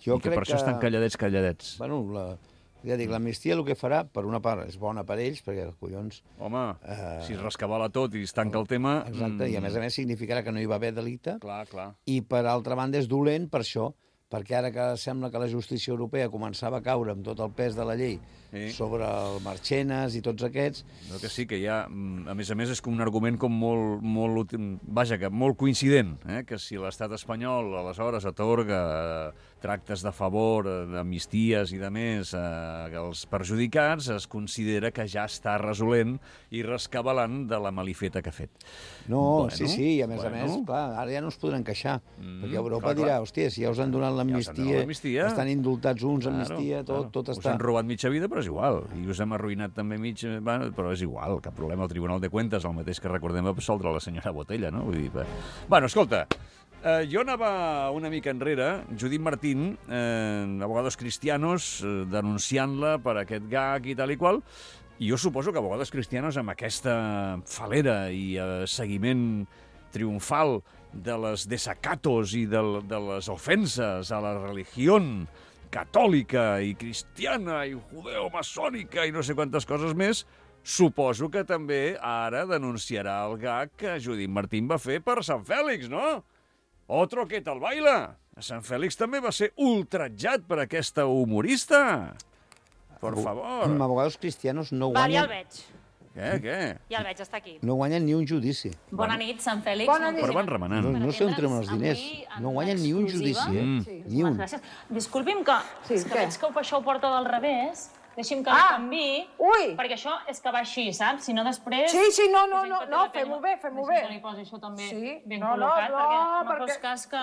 Jo I que crec per això estan calladets, calladets. Bueno, la, ja dic, l'amnistia el que farà, per una part, és bona per ells, perquè, collons... Home, Eh, si es rescabala tot i es tanca el tema... Exacte, i a més a més significarà que no hi va haver delicte. Clar, clar. I per altra banda és dolent per això, perquè ara que sembla que la justícia europea començava a caure amb tot el pes de la llei Sí. sobre el Marchenas i tots aquests, No, que sí, que hi ha, mm, a més a més, és com un argument com molt, molt, útil- vaja, que molt coincident, eh? Que si l'estat espanyol aleshores atorga eh, tractes de favor, eh, d'amnisties i de més eh, als perjudicats, es considera que ja està resolent i rescabalant de la malifeta que ha fet. no, Bueno, sí, sí, i a més bueno. a més, clar, ara ja no es podran queixar, Mm, perquè Europa clar, dirà, clar. hòstia, si ja us han donat donat l'amnistia, l'amnistia. estan indultats uns, amnistia, Claro, tot, tot Us està... han robat mitja vida, però és igual. I us hem arruïnat també mig... Bueno, però és igual, cap problema. El Tribunal de Cuentas, el mateix que recordem, va absoldre la senyora Botella, no? Vull dir, va. Bueno, escolta, eh, jo anava una mica enrere, Judit Martín, eh, Abogados Cristianos, eh, denunciant-la per aquest gag i tal i qual, i jo suposo que Abogados Cristianos, amb aquesta falera i eh, seguiment triomfal de les desacatos i de, de les ofenses a la religió catòlica i cristiana i judeo-maçònica i no sé quantes coses més, suposo que també ara denunciarà el gag que Judit Martín va fer per Sant Fèlix, no? Otro que tal baila. A Sant Fèlix també va ser ultratjat per aquesta humorista. Por favor. Abogados cristianos no Va, ja guanyen, el veig. Què, què? Ja el veig, està aquí. no guanyen ni un judici. Bona nit, Sant Fèlix. Bona nit. Però van remenant. No, no sé on treuen els diners. Avui, en No guanyen ni un exclusiva. judici, eh? Sí. Ni un. Gràcies. Disculpi'm que, Sí, és que què? veig que això ho porta del revés. Deixi'm que Ah! li canviï. Ui! Perquè això és que va així, saps? Si no, després... Sí, sí, no, no, Deixi'm no, que té no, la pell- fem-ho bé, fem-ho Deixi'm bé. que li posi això també Sí. ben No, no, col·locat, no, perquè no perquè- fos cas que...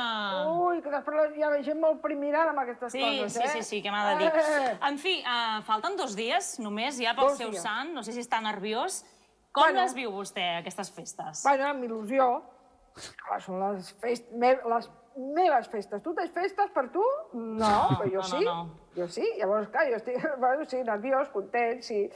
Ui, que després hi ha gent molt primirada amb aquestes Sí, coses, sí, eh? sí, sí, què m'ha de dir. Eh. En fi, uh, falten dos dies només ja pel Dos seu dies. sant. No sé si està nerviós. Com Bueno. les viu vostè, aquestes festes? Bueno, amb il·lusió. Clar, són les, fest... me... les meves festes. Tu tens festes per tu? No, però jo no, sí. no, no. Jo sí. Llavors, clar, jo estic bueno, sí, nerviós, content, sí.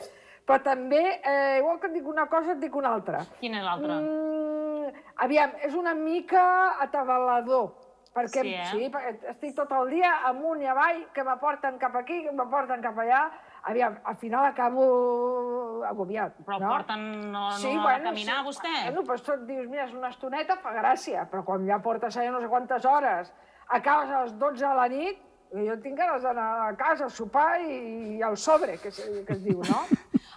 Però també, eh, igual que et dic una cosa, et dic una altra. Quina és l'altra? Mm, aviam, és una mica atabalador. Perquè, Sí, eh? sí, perquè estic tot el dia amunt i avall, que m'aporten cap aquí, que m'aporten cap allà. Aviam, al final acabo agobiat. Però no? porten no, no Sí, a bueno, caminar, sí. vostè? Bueno, doncs tu et dius, mira, és una estoneta, fa gràcia, però quan ja portes allà no sé quantes hores, acabes a les dotze de la nit, jo tinc ganes d'anar a casa a sopar i al sobre, que es, que es diu, no?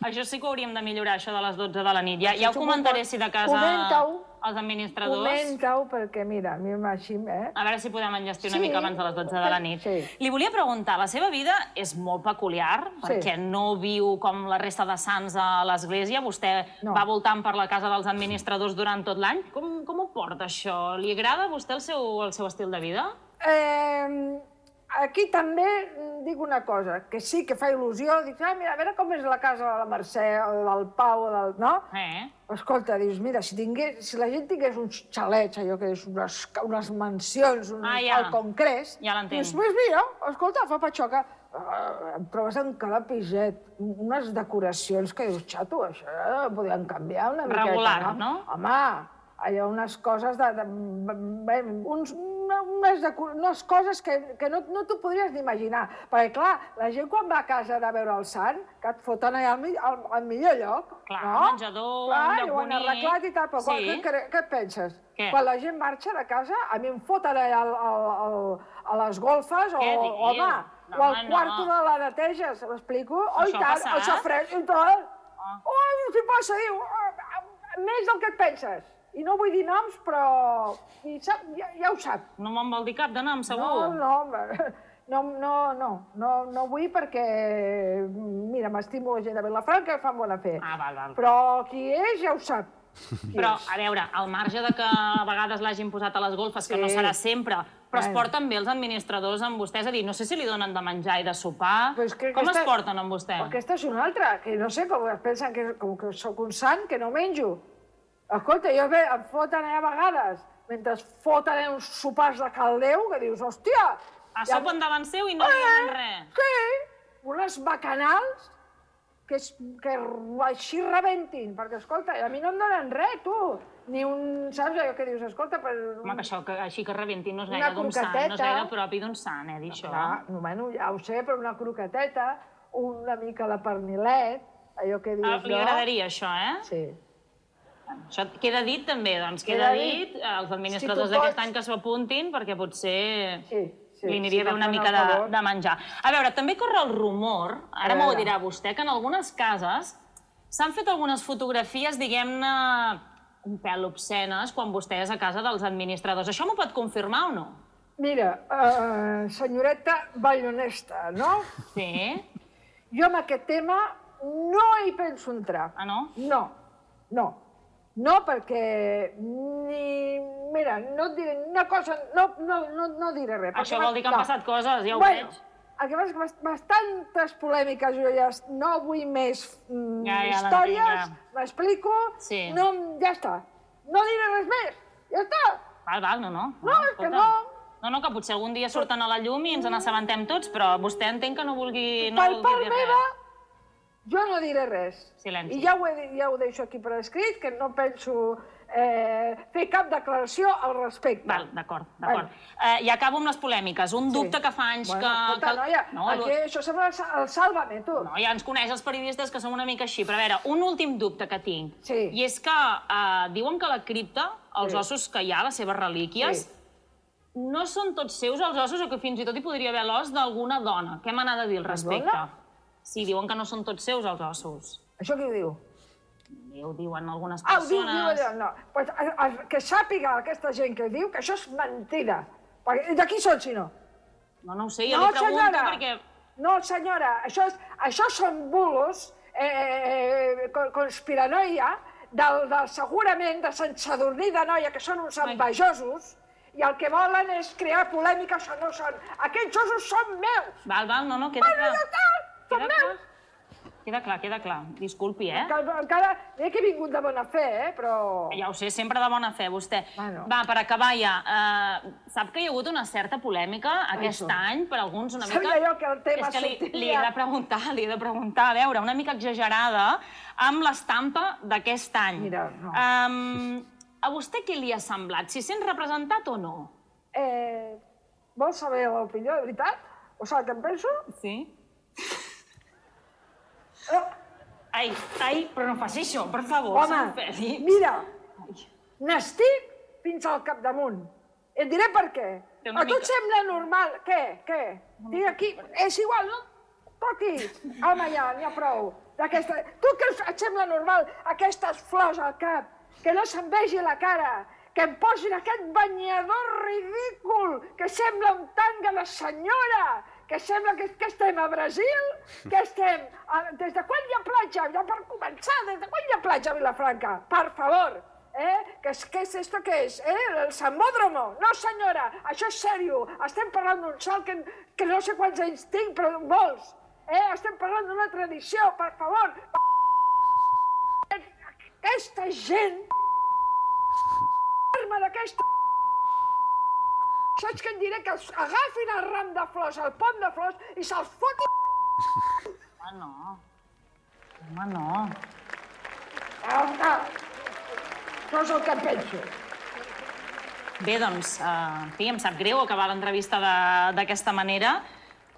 Això sí que hauríem de millorar, això de les dotze de la nit. Ja, Sí, ja ho sí, comentaré, si de casa, comenta-ho. els administradors. Comenta-ho, perquè mira, a mi m'així, eh? A veure si podem enllestir una Sí. mica abans de les dotze de la nit. Sí. Li volia preguntar, la seva vida és molt peculiar, Sí. perquè no viu com la resta de sants a l'església. Vostè No. va voltant per la casa dels administradors durant tot l'any. Com, com ho porta, això? Li agrada a vostè el seu, el seu estil de vida? Eh, aquí també dic una cosa, que sí que fa il·lusió, dic, ah, mira, a veure com és la casa de la Mercè, o del Pau, o del... no? Eh? Escolta, dius, mira, si, tingués, si la gent tingués uns xalets, allò que és unes, unes mansions, un, Ah, ja. al Congrés, Ja l'entenc. dius, pues mira, escolta, fa patxoca, uh, em trobes en cada piset unes decoracions que dius, xato, això ho podien canviar una miqueta, Regular, no? Home, allò, unes coses de... de, de uns, unes, deco- unes coses que, que no, no t'ho podries ni imaginar. Perquè, clar, la gent quan va a casa de veure el sant, que et foten allà al, mi- al, al millor lloc, Clar, no? menjador, clar, un lloc i ho han bonic. arreglat i tal, però quan, Sí. què, què, què et penses? Què? Quan la gent marxa de casa, a mi em foten allà al, al, al, a les golfes, o, Què diu? home, No, o al home, no. quarto de la neteja, se m'explico? Oh, i Això ha tant, passat? el sofreix i tal. Ah. Oh, què passa? Diu, "Ah, més del que et penses. I no vull dir noms, però i sap, ja, ja ho sap. No me'n vol dir cap de nom, segur? No, no, no, no, no, no, no vull perquè, mira, m'estimo la gent de Vilafranca, fan bona fe. Ah, val, val. Però qui és ja ho sap. Qui Però, és. a veure, al marge de que a vegades l'hagin posat a les golfes, que Sí. no serà sempre, però es Bueno. porten bé els administradors amb vostè? És a dir, no sé si li donen de menjar i de sopar. Però és que Com aquesta- es porten amb vostè? Però aquesta és una altra, que no sé, com es pensen que, com que sóc un sant, que no menjo. Escolta, jo ve, em foten allà a vegades, mentre foten uns sopars de caldeu, que dius, hòstia... A ja- sopen davant seu i no li donen res. Sí, unes bacanals que, es, que així rebentin, perquè, escolta, a mi no em donen res, tu. Ni un, saps allò que dius, escolta, per... Home, que això que així que rebentin no és Una gaire d'un sant, no és croqueteta. gaire propi d'un sant, eh, dir això. Clar, bueno, ja ho sé, però una croqueteta, una mica de pernilet, allò que dius, Ah, li no? agradaria això, eh? Sí. Això queda dit també, doncs, queda, Queda dit, dit. els administradors Si tu d'aquest pots. any que s'ho apuntin, perquè potser Sí, sí, li aniria sí, bé que una fan mica el de, favor. de menjar. A veure, també corre el rumor, ara A m'ho veure. dirà vostè, que en algunes cases s'han fet algunes fotografies, diguem-ne, un pèl obscenes, quan vostè és a casa dels administradors. Això m'ho pot confirmar o no? Mira, uh, senyoreta ballonesta, no? Sí? Jo amb aquest tema no hi penso entrar. Ah, no? No, no. No, perquè ni... Mira, no et diré una cosa... No, no, no, no diré res. Això perquè vol dir que han no. passat coses, ja ho bueno, veig. el que passa és que bast- bastantes polèmiques, jo ja es- no vull més mm, Ja, ja històries, l'entenc, m'explico, Sí. no, ja està. No diré res més, ja està. Val, val, no, no. No, és que escolta. no. No, no, que potser algun dia surten a la llum i ens n'assabentem tots, però vostè entenc que no vulgui, no Per vulgui part dir meva, res. jo no diré res. Silenci. I ja ho, he, ja ho deixo aquí per escrit, que no penso eh, fer cap declaració al respecte. Val, d'acord, d'acord. Eh, I acabo amb les polèmiques. Un dubte que fa anys Bueno, que... escolta, que- noia, No, aquí el- això sembla el Sálvame, tu. No, ja ens coneix els periodistes que som una mica així. Però a veure, un últim dubte que tinc. Sí. I és que eh, diuen que la cripta, els Sí. ossos que hi ha, les seves relíquies, Sí. no són tots seus els ossos o que fins i tot hi podria haver l'os d'alguna dona. Què m'ha de dir al respecte? dona? Sí, diuen que no són tots seus els ossos. Això qui ho diu? I ho diuen algunes Ah, ho diu, persones. diu allò, no. Pues, a- a- que sàpiga aquesta gent que ho diu que això és mentida. Perquè, de qui són, si no? No, no ho sé, jo No, li pregunto senyora. perquè... No, senyora, això, és, això són bulos, eh, con- conspiranoia, del, del segurament de Sant Sadurní de Noia, que són uns envejosos, i el que volen és crear polèmica, això no són. Aquests ossos són meus! Val, val, no, no, queda Bueno, clar. ja està, són Queda meus! clar. Queda clar, queda clar. Disculpi, eh? Encara, encara, mira que he vingut de bona fe, eh, però... Ja ho sé, sempre de bona fe, vostè. Bueno. Va, per acabar ja, eh, sap que hi ha hagut una certa polèmica aquest Això. any, per alguns una Sabia mica... jo que el tema És que li, sortiria. li he de preguntar, li he de preguntar, a veure, una mica exagerada, amb l'estampa d'aquest any. Mira, no. Um, a vostè què li ha semblat? Si sent representat o no? Eh, vols saber l'opinió, de veritat? O saps què em penso? Sí. Eh, Ai, ai, però no faci això, per favor, home, Sant Fèlix. mira, n'estic fins al capdamunt. Et diré per què. Té una A tu et mica- sembla normal? Què? Què? Dic aquí, és igual, no? Toqui. Home, ja, n'hi ha prou. D'aquesta... Tu que et sembla normal aquestes flors al cap? Que no se'n vegi la cara? Que em posin aquest banyador ridícul que sembla un tanga de senyora? Que sembla que, que estem a Brasil? Que estem... A, des de quan hi ha platja? Ja per començar, des de quan hi ha platja a Vilafranca? Per favor. Eh? ¿Qué es, qué es esto que es? ¿Eh? ¿El Samódromo? No, senyora, això és sèrio. Estem parlant d'un salt que, que no sé quants anys tinc, però molts. Eh? Estem parlant d'una tradició, per favor. Aquesta gent... Arma d'aquesta... Saps què em diré? Que els agafin el ram de flors, el pont de flors, i se'ls fotin... Home, no. Home, no. Ah, no és el que em penso. Bé, doncs, eh, en fi, em sap greu acabar l'entrevista de- d'aquesta manera.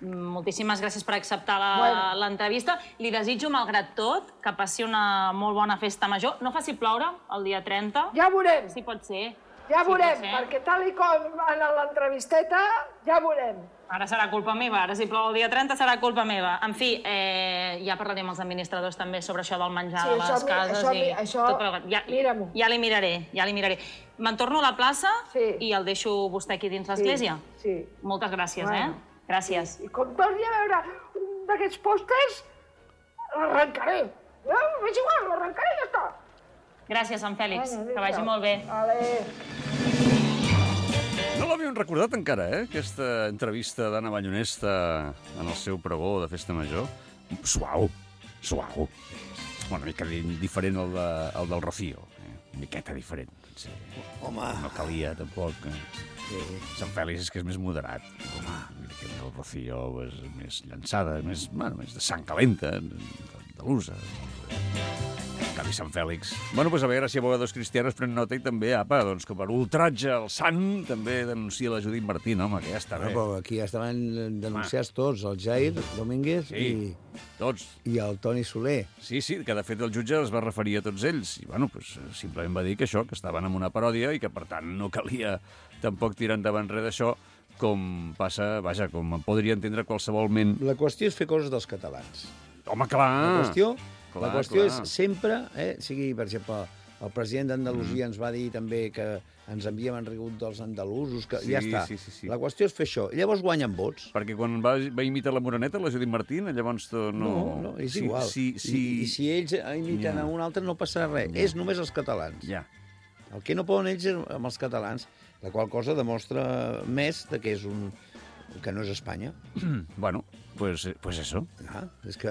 Moltíssimes gràcies per acceptar la- Bueno. l'entrevista. Li desitjo, malgrat tot, que passi una molt bona festa major. No faci ploure el dia trenta. Ja veurem. Sí, pot ser. Ja Sí, veurem, pot ser. perquè tal i com en l'entrevisteta, ja veurem. Ara serà culpa meva, ara si plou el dia trenta serà culpa meva. En fi, eh, ja parlarem amb els administradors també sobre això del menjar Sí, de les això mi- cases això i mi- això tot plegat. Ja, mira-m'ho. ja li miraré, ja li miraré. Me'n torno a la plaça Sí. i el deixo vostè aquí dins l'església. Sí. Moltes gràcies, Bueno. eh? Gràcies. I com torni a veure un d'aquests pòsters, l'arrencaré. No, és igual, l'arrencaré i ja està. Gràcies, Sant Fèlix. Bueno, Que vagi adéu. molt bé. Vale. No l'havíem recordat encara, eh? Aquesta entrevista d'Anna Ballonesta en el seu pregó de Festa Major. Suau, suau. Una mica di- diferent al, de, al del Rocío. Eh? Una miqueta diferent. Sí. Home. No calia, tampoc. Eh? Sant Fèlix és que és més moderat. Home, mira que el Rocío és més llançada, més, bueno, més de sang calenta, andalusa. En canvi, Sant Fèlix... Bueno, doncs a veure si abogados cristianos pren nota i també, apa, doncs que per ultratge al sant també denuncia la Judit Martín, home, que ja està No, bé. però aquí ja estaven denunciats tots, el Jair Domínguez Sí, i, tots. i el Toni Soler. Sí, sí, que de fet el jutge es va referir a tots ells. I, bueno, doncs, simplement va dir que això, que estaven en una paròdia i que, per tant, no calia tampoc tirar endavant res d'això, com passa, vaja, com podria entendre qualsevol ment. La qüestió és fer coses dels catalans. Home, clar! La qüestió, clar, la qüestió clar. és sempre, eh, sigui, per exemple, el president d'Andalusia mm. ens va dir també que ens envíem en rigut dels andalusos, que Sí, ja està. sí, sí, sí. La qüestió és fer això. I llavors guanyen vots. Perquè quan va, va imitar la Moreneta, la Judit Martín, llavors to, no... No, no, és sí, igual. Sí, sí, I, I si ells imiten Ja. a un altre no passarà res. Ja. És només els catalans. Ja. El que no poden ells és amb els catalans, la qual cosa demostra més de que és un que no és Espanya. Bueno, pues, pues eso. Ah, és que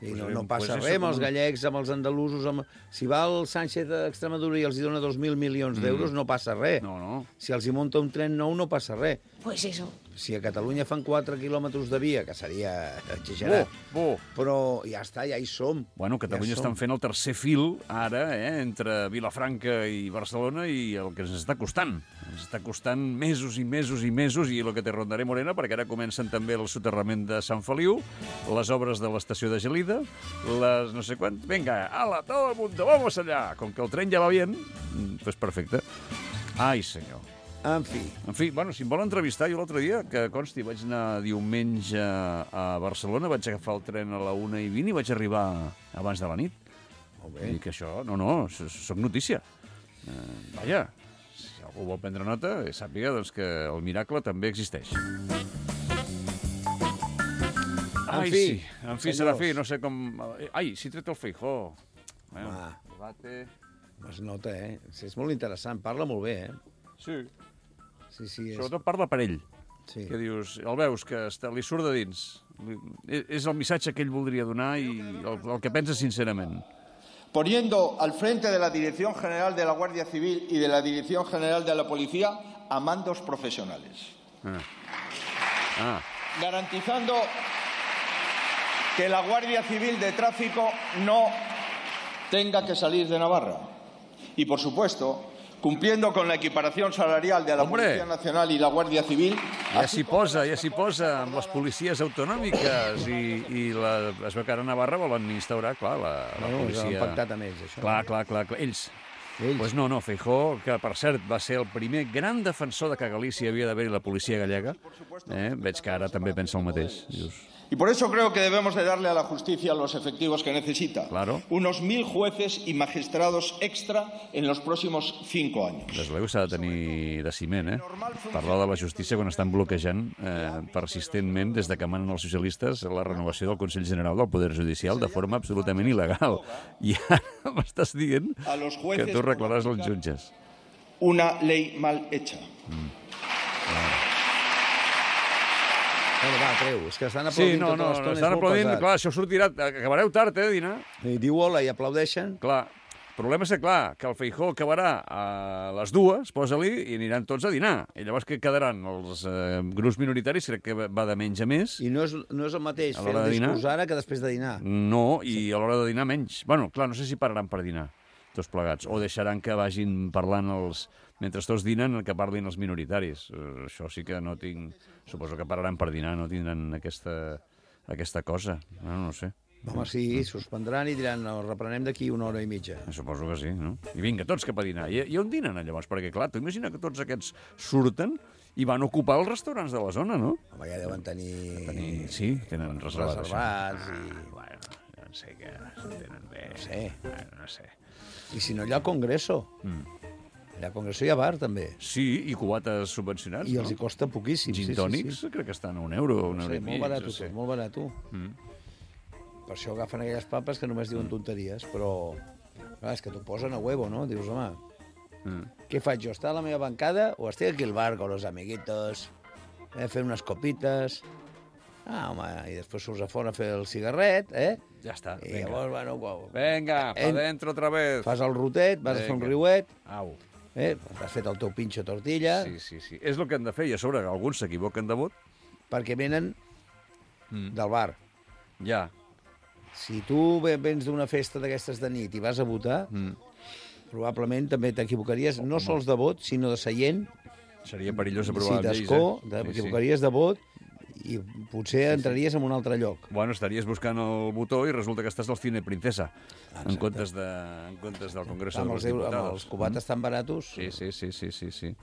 i Pues no, bé, no passa pues res eso, amb els com- gallecs, amb els andalusos... Amb... Si va el Sánchez d'Extremadura i els hi dona dos mil milions d'euros, no passa res. No, no. Si els hi munta un tren nou, no passa res. Pues eso. si a Catalunya fan quatre quilòmetres de via, que seria exagerat, Bo, bo. però ja està, ja hi som. Bueno, Catalunya Ja estan som. fent el tercer fil, ara, eh, entre Vilafranca i Barcelona, i el que ens està costant. Ens està costant mesos i mesos i mesos, i el que te rondaré, Morena, perquè ara comencen també el soterrament de Sant Feliu, les obres de l'estació de Gelida, les no sé quant... Vinga, ala, todo el mundo, vamos allá! Com que el tren ja va bien, pues perfecte. Ai, senyor. En fi. En fi, bueno, si em vol entrevistar, jo l'altre dia, que consti, vaig anar diumenge a Barcelona, vaig agafar el tren a la una i vint i vaig arribar abans de la nit. Molt bé. I que això, no, no, soc notícia. Eh, vaja, si algú vol prendre nota, sàpiga doncs, que el miracle també existeix. Ai, fi, sí, en fi, senyors. Serafí, no sé com... Ai, si tret el Feijó. Bueno, Va. debate... Es nota, eh? És molt interessant, parla molt bé, eh? Sí, Sí, sí, és... sobretot parla per ell. Sí. Que dius, el veus, que està, li surt de dins. Li, és el missatge que ell voldria donar i el, el que pensa sincerament. Poniendo al frente de la Dirección General de la Guardia Civil y de la Dirección General de la Policía a mandos profesionales. Ah. Ah. Garantizando que la Guardia Civil de Tráfico no tenga que salir de Navarra. Y, por supuesto, cumpliendo con la equiparación salarial de la Hombre. Policía Nacional y la Guardia Civil. Ja s'hi posa, ja s'hi posa amb les policies autonòmiques i, i la, es veu que ara a Navarra volen instaurar, clar, la, la Bueno, policia... han pactat amb ells, això. Clar, clar, clar, clar. Ells. Ells. Pues no, no, Feijó, que per cert va ser el primer gran defensor de que a Galícia havia d'haver-hi la policia gallega, eh? Veig que ara també pensa el mateix. Dius, Y por eso creo que debemos de darle a la justicia los efectivos que necesita. Claro. Unos mil jueces y magistrados extra en los próximos cinco años. des de s'ha de tenir de ciment, eh? Parlar de la justícia quan estan bloquejant eh, persistentment, des de que manen els socialistes, la renovació del Consell General del Poder Judicial de forma absolutament il·legal. I ara m'estàs dient A los que jueces tu reclaràs por els jutges. una ley mal hecha. Bueno, va, treu, és que estan Sí, aplaudint no, tota no, l'estona, és estan molt aplaudint, pesat. clar, això sortirà, acabareu tard, eh, dinar. I diu hola i aplaudeixen. Clar, el problema és que, clar, que el Feijó acabarà a les dues, posa-li, i aniran tots a dinar. I llavors què quedaran? Els eh, grups minoritaris, crec que va de menys a més. I no és, no és el mateix A fer l'hora el de dinar? discurs ara que després de dinar. No, i a l'hora de dinar menys. Bueno, clar, no sé si pararan per dinar, tots plegats, o deixaran que vagin parlant els... Mentre tots dinen, que parlin els minoritaris. Uh, això sí que no tinc... Suposo que pararan per dinar, no tindran aquesta, aquesta cosa. No, no sé. Home, sí, suspendran i diran, no, reprenem d'aquí una hora i mitja. Suposo que sí, no? I vinga, tots cap a dinar. I, i on dinen, llavors? Perquè, clar, tu imagina que tots aquests surten i van ocupar els restaurants de la zona, no? Home, ja deuen tenir... tenir... Sí, tenen reservat, reservats això. i... Ah, bueno, ja no sé què tenen bé. No sé. Bueno, no sé. I si no, allà al Congreso. Mm. Allà al Congreso hi ha bar, també. Sí, i cubates subvencionats, I els no? hi costa poquíssim. Gin sí, tònics, sí, sí. crec que estan a un euro, un No euro sé, i mig. molt barat, no sé. tot, molt barat. Mm. Per això agafen aquelles papes que només diuen tonteries, però... Clar, és que t'ho posen a huevo, no? Dius, home, Mm. què faig jo? Estar a la meva bancada o estic aquí al bar con los amiguitos, eh, fent unes copites... Ah, home, i després surts a fora a fer el cigarret, eh? Ja està, I vinga. llavors, bueno, uau, Venga, pa En- dentro otra vez. fas el rotet, vas a fer un Vinga. riuet, Au. eh? Has fet el teu pinxo tortilla, Sí, sí, sí. És el que han de fer, i a sobre alguns s'equivoquen de vot. perquè venen Mm. del bar. Ja. Si tu ve- vens d'una festa d'aquestes de nit i vas a votar, Mm. probablement també t'equivocaries no sols de vot, sinó de seient, Seria perillós si aprovar lleis, d'escó, eh? t'equivocaries de vot i potser entraries en un altre lloc. Bueno, estaries buscant el botó i resulta que estàs al Cine Princesa, en Exacte. comptes, de, en comptes del Congreso Amb de els, los euro- Diputados. amb els cubates tan baratos... Sí, sí, sí, sí, sí, sí.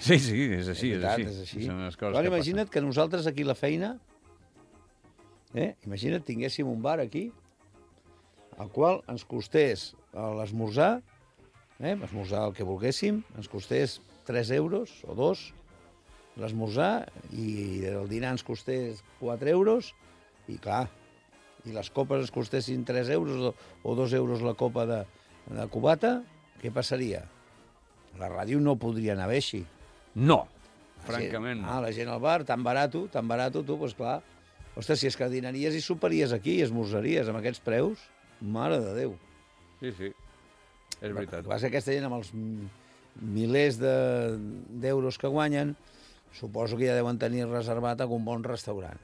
Sí, sí, és així, és, veritat, així. és així. Són les coses Però que imagina't que nosaltres aquí a la feina, eh? imagina't tinguéssim un bar aquí, al qual ens costés a l'esmorzar, eh? esmorzar el que volguéssim, ens costés tres euros o dos, l'esmorzar, i el dinar ens costés quatre euros, i clar, i les copes ens costessin tres euros o, o dos euros la copa de, de cubata, què passaria? La ràdio no podria anar bé així. No, La francament. gent, ah, la gent al bar, tan barato, tan barato, tu, doncs clar. Ostres, si és que dinaries i soparies aquí, i esmorzaries amb aquests preus, mare de Déu. Sí, sí, és veritat. El que passa que aquesta gent amb els m- milers de- d'euros que guanyen, suposo que ja deuen tenir reservat algun bon restaurant.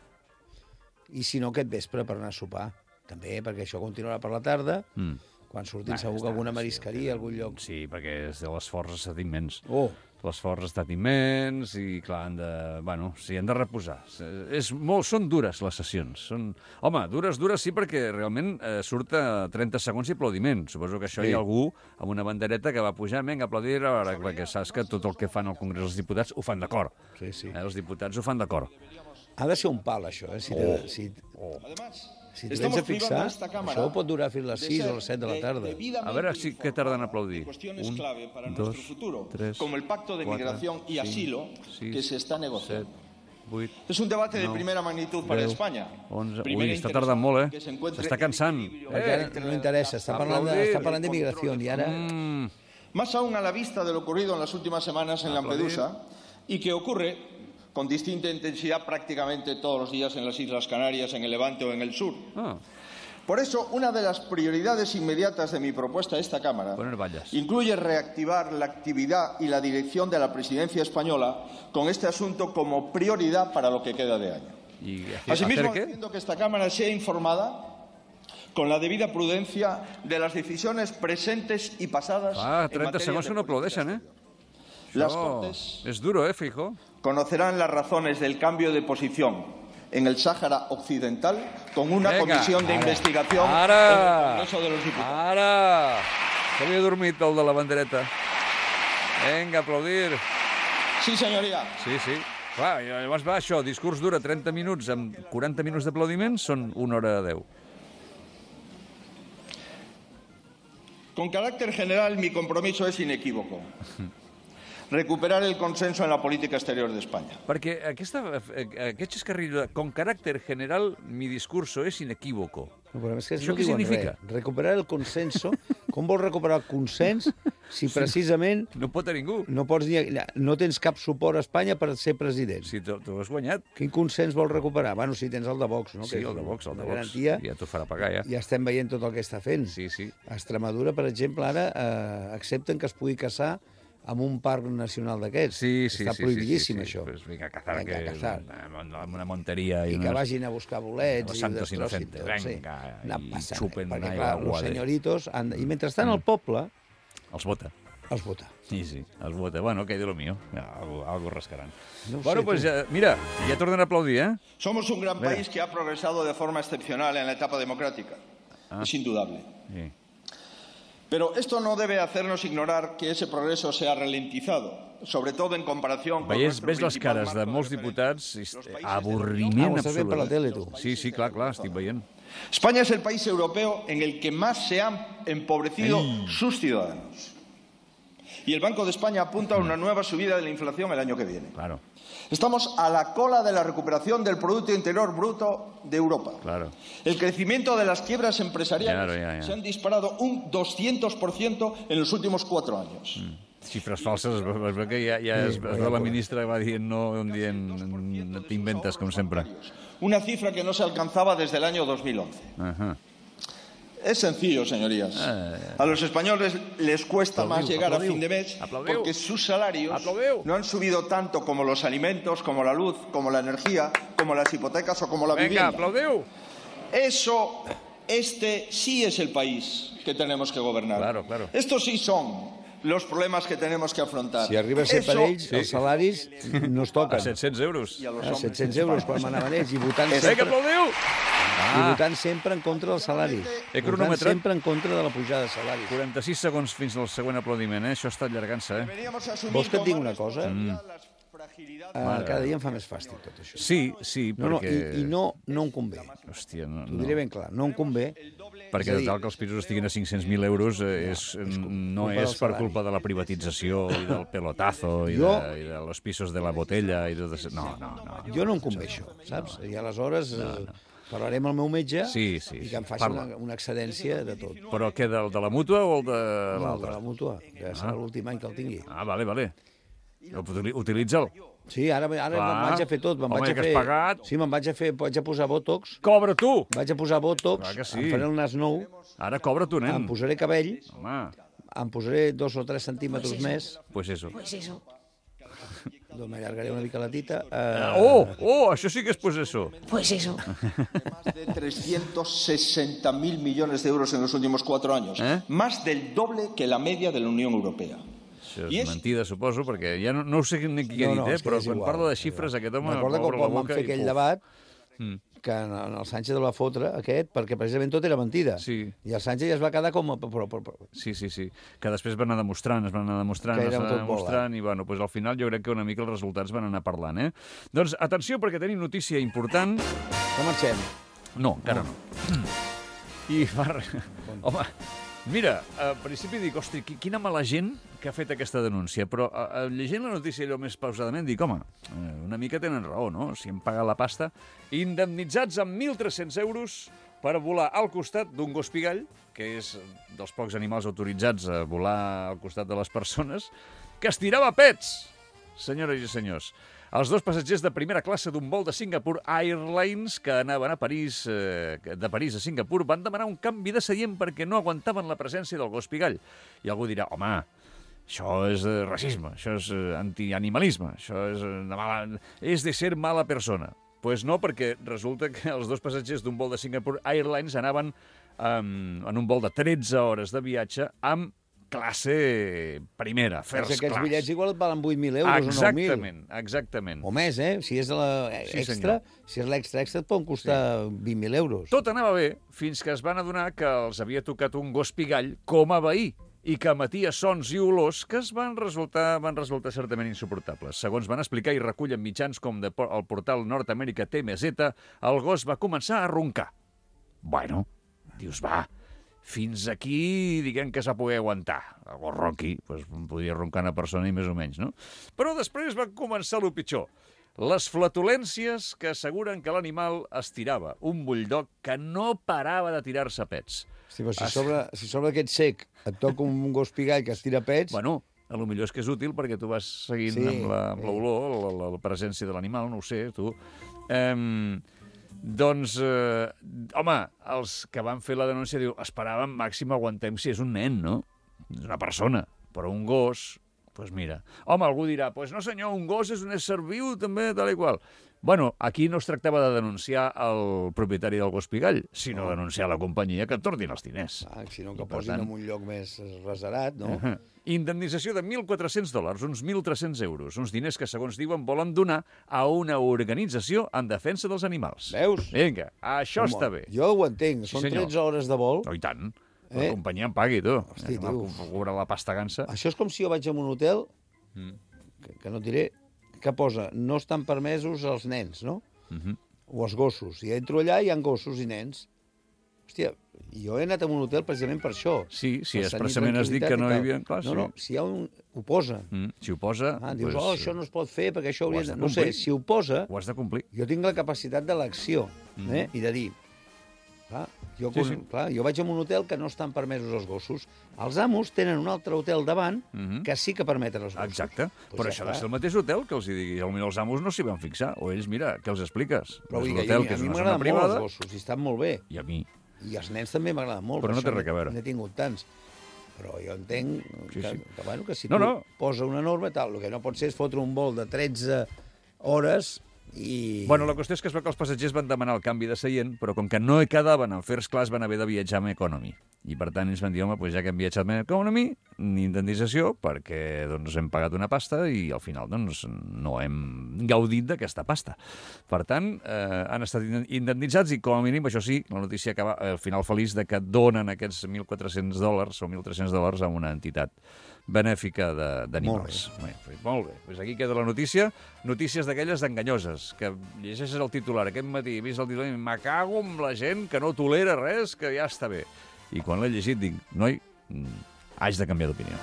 I si no, aquest vespre per anar a sopar. També, perquè això continuarà per la tarda. Mm. Quan surtin ah, segur que alguna marisqueria, algun lloc. Sí, perquè és de l'esforç ha estat immens. Oh! L'esforç ha estat immens i, clar, han de... Bueno, sí, han de reposar. És molt, són dures, les sessions. Són... Home, dures, dures sí, perquè realment eh, surt a trenta segons i aplaudiment. Suposo que això sí. Hi ha algú amb una bandereta que va pujar, vinga, aplaudir, ara, perquè saps que tot el que fan al Congrés dels Diputats ho fan d'acord. Sí, sí. Eh, els diputats ho fan d'acord. Ha de ser un pal, això, eh? Si oh. te, si... Oh. Si t'ho tens a fixar, això pot durar fins a les sis o les set de la tarda. A veure si què tarden a aplaudir. Un, dos, tres, como el pacto de migración y asilo que se está negociando. vuit, es un debate de primera magnitud para España. onze, ui, està tardant molt, eh? S'està cansant. Eh, no interessa, està parlant de, està parlant de migració i ara... Mm. Más aún a la vista de lo ocurrido en las últimas semanas en Lampedusa y que ocurre con distinta intensidad prácticamente todos los días en las Islas Canarias, en el Levante o en el sur. Ah. Por eso, una de las prioridades inmediatas de mi propuesta a esta Cámara incluye reactivar la actividad y la dirección de la presidencia española con este asunto como prioridad para lo que queda de año. ¿Y Asimismo, haciendo que esta Cámara sea informada con la debida prudencia de las decisiones presentes y pasadas. Ah, trenta segons que no aplaudeixen, eh? Las Cortes es duro, eh, Feijóo. Conocerán las razones del cambio de posición en el Sáhara Occidental con una Venga, comisión de ara, investigación ara, en el Congreso de los Diputados. Ara! S'havia dormit el de la bandereta. Vinga, aplaudir. Sí, senyoria. Sí, sí. Clar, llavors va això, discurs dura trenta minuts amb quaranta minuts d'aplaudiments, són una hora deu. Con carácter general, mi compromiso es inequívoco. Recuperar el consenso en la política exterior de España. Perquè aquesta, aquest xascarrillo, con caràcter general, mi discurso és inequívoco. No, però és que això no què significa? Res. Recuperar el consenso. Com vols recuperar el consens si precisament... No pot a ningú. No, pots dir, no tens cap suport a Espanya per ser president. Si t'ho has guanyat. Quin consens vols recuperar? Bueno, si tens el de Vox, no? Sí, que el de Vox, el de Vox. Garantia, ja t'ho farà pagar, ja. Ja estem veient tot el que està fent. Sí, sí. A Extremadura, per exemple, ara eh, accepten que es pugui caçar amb un parc nacional d'aquests. Sí, sí, Està sí, prohibidíssim, sí, sí, sí. això. Pues vinga, a cazar, vinga, que a cazar. Una, una monteria. I, I que unes... vagin a buscar bolets Los i santos inocentes, tot, venga, sí. i passant, xupen perquè, una clar, aigua els de... senyoritos... Han... I mentrestant el poble... Els vota. Els vota. Sí, sí, els vota. Bueno, que de lo mío. Algo, algo rascaran. No bueno, sé, pues ya, mira, ya tornen a aplaudir, ¿eh? Somos un gran Mira. país que ha progresado de forma excepcional en la etapa democrática. Ah. Es indudable. Sí. Pero esto no debe hacernos ignorar que ese progreso se ha ralentizado, sobre todo en comparación con... Veies, ves les cares de molts diputats, avorriment ah, absolut. Per la tele, tu. Sí, sí, clar, clar, estic veient. España es el país europeo en el que más se han empobrecido Ay. sus ciudadanos. Y el Banco de España apunta a una nueva subida de la inflación el año que viene. Claro. Estamos a la cola de la recuperación del Producto Interior Bruto de Europa. Claro. El crecimiento de las quiebras empresariales claro, ya, ya. se han disparado un doscientos por ciento en los últimos cuatro años. Mm. Xifres falses, es veu que ja, ja es, es veu la ministra va dient no, un dient t'inventes, com sempre. Una cifra que no se alcanzaba desde el año dos mil once. Ajá. Es sencillo, señorías. A los españoles les cuesta aplaudiu, más llegar aplaudiu, a fin de mes aplaudiu, porque sus salarios aplaudiu. no han subido tanto como los alimentos, como la luz, como la energía, como las hipotecas o como la Venga, vivienda. aplaudiu. Eso, este sí es el país que tenemos que gobernar. Claro, claro. Estos sí son los problemas que tenemos que afrontar. Si arriba a ser Eso, per ells, sí. els salaris no es toquen. A set-cents euros. A set-cents euros quan manaven ells i votant Vinga, sempre, aplaudiu! i votant sempre en contra dels salaris. He Votant cronometrat sempre en contra de la pujada de salaris. quaranta-sis segons fins al següent aplaudiment, eh? Això està allargant-se, eh? Vols que et digui una cosa? Mm. Uh, cada dia em fa més fàstic tot això. Sí, sí, no, perquè... No, i, I no, no em convé. Hòstia, no... T'ho diré ben clar, no em convé. Perquè de tal que els pisos estiguin a cinc-cents mil euros eh, és, no és per culpa de la privatització i del pelotazo i, jo, de, i de los pisos de la botella i tot això. No, no, no. Jo no em convé això, saps? I aleshores no, no. parlarem amb el meu metge sí, sí, i que em faci una, una excedència de tot. Però què, del de la mútua o el de l'altre? No, el de la mútua, que serà ah. l'últim any que el tingui. Ah, vale, vale. Utilitza'l. Sí, ara, ara me'n vaig a fer tot. Home, vaig a fer... que has pagat. Sí, me'n vaig a fer, vaig a posar botox. Cobra tu! Vaig a posar botox, sí. em faré el nas nou. Ara cobra tu, nen. Em posaré cabell. Home. Em posaré dos o tres centímetres pues més. Pues eso. Pues eso. doncs m'allargaré una mica la tita. Uh... Oh, oh, això sí que és possessor. Pues eso. Más de trescientos sesenta mil millones de euros en los últimos cuatro años. ¿Eh? Más del doble que la media de la Unión Europea. Això és, és mentida, suposo, perquè ja no, no ho sé ni qui ha dit, no, no, eh? Però quan igual, parla de xifres aquest home m'acorda obre la quan boca vam fer aquell debat mm. que en, en el Sánchez de la fotre, aquest, perquè precisament tot era mentida. Sí. I el Sánchez ja es va quedar com... Però, però, però... Sí, sí, sí. Que després van anar demostrant, es van anar demostrant, es van anar demostrant, i bueno, pues al final jo crec que una mica els resultats van anar parlant, eh? Doncs atenció, perquè tenim notícia important. Que marxem? No, encara no. no. I va... Home... Mira, al principi dic, hosti, quina mala gent que ha fet aquesta denúncia, però a, a, llegint la notícia allò més pausadament dic, home, una mica tenen raó, no? Si hem pagat la pasta, indemnitzats amb mil tres-cents euros per volar al costat d'un gos pigall, que és dels pocs animals autoritzats a volar al costat de les persones, que estirava pets, senyores i senyors. Els dos passatgers de primera classe d'un vol de Singapore Airlines que anaven a París, eh, de París a Singapur van demanar un canvi de seient perquè no aguantaven la presència del gos pigall. I algú dirà, home, això és eh, racisme, això és eh, antianimalisme, això és, eh, de mala, és de ser mala persona. Doncs pues no, perquè resulta que els dos passatgers d'un vol de Singapore Airlines anaven eh, en un vol de tretze hores de viatge amb classe primera, first class. Aquests bitllets igual et valen vuit mil euros exactament, o nou mil. Exactament, exactament. O més, eh? Si és de la extra, sí, si és l'extra extra et poden costar sí. vint mil euros. Tot anava bé fins que es van adonar que els havia tocat un gos pigall com a veí i que emetia sons i olors que es van resultar, van resultar certament insuportables. Segons van explicar i recullen mitjans com de, el portal Nord-Amèrica T M Z, el gos va començar a roncar. Bueno, dius, va, fins aquí, diguem que s'ha poder aguantar. El gos ronqui, doncs podia roncar una persona i més o menys, no? Però després va començar el pitjor. Les flatulències que asseguren que l'animal estirava. Un bulldog que no parava de tirar-se pets. Hosti, però si, es... sobre, si sobre aquest sec et toca un gos pigall que estira pets... Bueno, a lo millor és que és útil perquè tu vas seguint sí, amb l'olor, la, la, la, la presència de l'animal, no ho sé, tu. Um, doncs, eh, home, els que van fer la denúncia diu, esperàvem màxim aguantem si és un nen, no? És una persona, però un gos... Doncs pues mira, home, algú dirà, doncs pues no senyor, un gos és un ésser viu també, tal i qual. Bueno, aquí no es tractava de denunciar el propietari del gos pigall, sinó no. denunciar la companyia que et tornin els diners. Ah, sinó que I, posin tant... en un lloc més reserat, no? Uh -huh. Indemnització de mil quatre-cents dòlars, uns mil tres-cents euros, uns diners que, segons diuen, volen donar a una organització en defensa dels animals. Veus? Vinga, això Home, està bé. Jo ho entenc, sí, són senyor. tretze hores de vol. Oh, i tant. La eh? companyia em pagui, tu. Hosti, eh, tio. Cobrar la pasta gansa. Això és com si jo vaig a un hotel, mm. que, que no diré, que posa, no estan permesos els nens, no? Uh-huh. O els gossos. I entro allà i hi ha gossos i nens. Hòstia, jo he anat a un hotel precisament per això. Sí, sí, expressament has dit que no hi havia... Clar, no, sí. no, si hi ha un... ho posa. Mm, si ho posa... Ah, dius, pues, oh, això no es pot fer perquè això hauria de... de No sé, si ho posa... Ho has de complir. Jo tinc la capacitat d'elecció, mm. eh? I de dir... Clar, jo, sí, sí. Clar, jo vaig a un hotel que no estan permesos els gossos. Els amos tenen un altre hotel davant mm-hmm. que sí que permeten els gossos. Exacte. Pues però ja això està. ha de ser el mateix hotel que els hi digui. Potser els amos no s'hi van fixar. O ells, mira, què els expliques? Però és un hotel que, que és a mi una zona m'agraden privada. molt els gossos, i estan molt bé. I a mi. I els nens també m'agraden molt. Però no té res a veure. N'he tingut tants. Però jo entenc sí, que, sí. que, bueno, que si no, tu no. posa una norma, tal, el que no pot ser és fotre un vol de tretze hores i... Bueno, la qüestió és que es veu que els passatgers van demanar el canvi de seient, però com que no hi quedaven en first class van haver de viatjar amb economy. I per tant ells van dir, home, doncs ja que hem viatjat amb economy, ni indemnització, perquè doncs, hem pagat una pasta i al final doncs, no hem gaudit d'aquesta pasta. Per tant, eh, han estat indemnitzats i com a mínim, això sí, la notícia acaba al final feliç de que donen aquests mil quatre-cents dòlars o mil tres-cents dòlars a una entitat benèfica d'animals. Molt bé. Molt bé. Pues aquí queda la notícia. Notícies d'aquelles enganyoses, que llegeixes el titular aquest matí, he vist el titular i me cago amb la gent que no tolera res, que ja està bé. I quan l'he llegit dic, noi, haig de canviar d'opinió.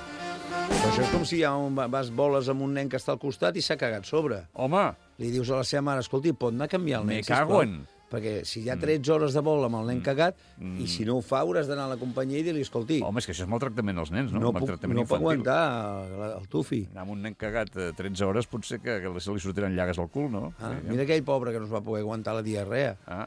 Però això és com si ja vas boles amb un nen que està al costat i s'ha cagat sobre. Home! Li dius a la seva mare, escolti, pot anar a canviar el nen, me cago en... Perquè si hi ha tretze hores de vol amb el nen cagat, mm. i si no ho fa, hauràs d'anar a la companyia i dir-li, escolti... Home, és que això és maltractament als nens, no? No puc, no puc aguantar el, el tufi. Anar amb un nen cagat tretze hores potser que, que se li sortiran llagues al cul, no? Ah, mira aquell pobre que no es va poder aguantar la diarrea. Ah.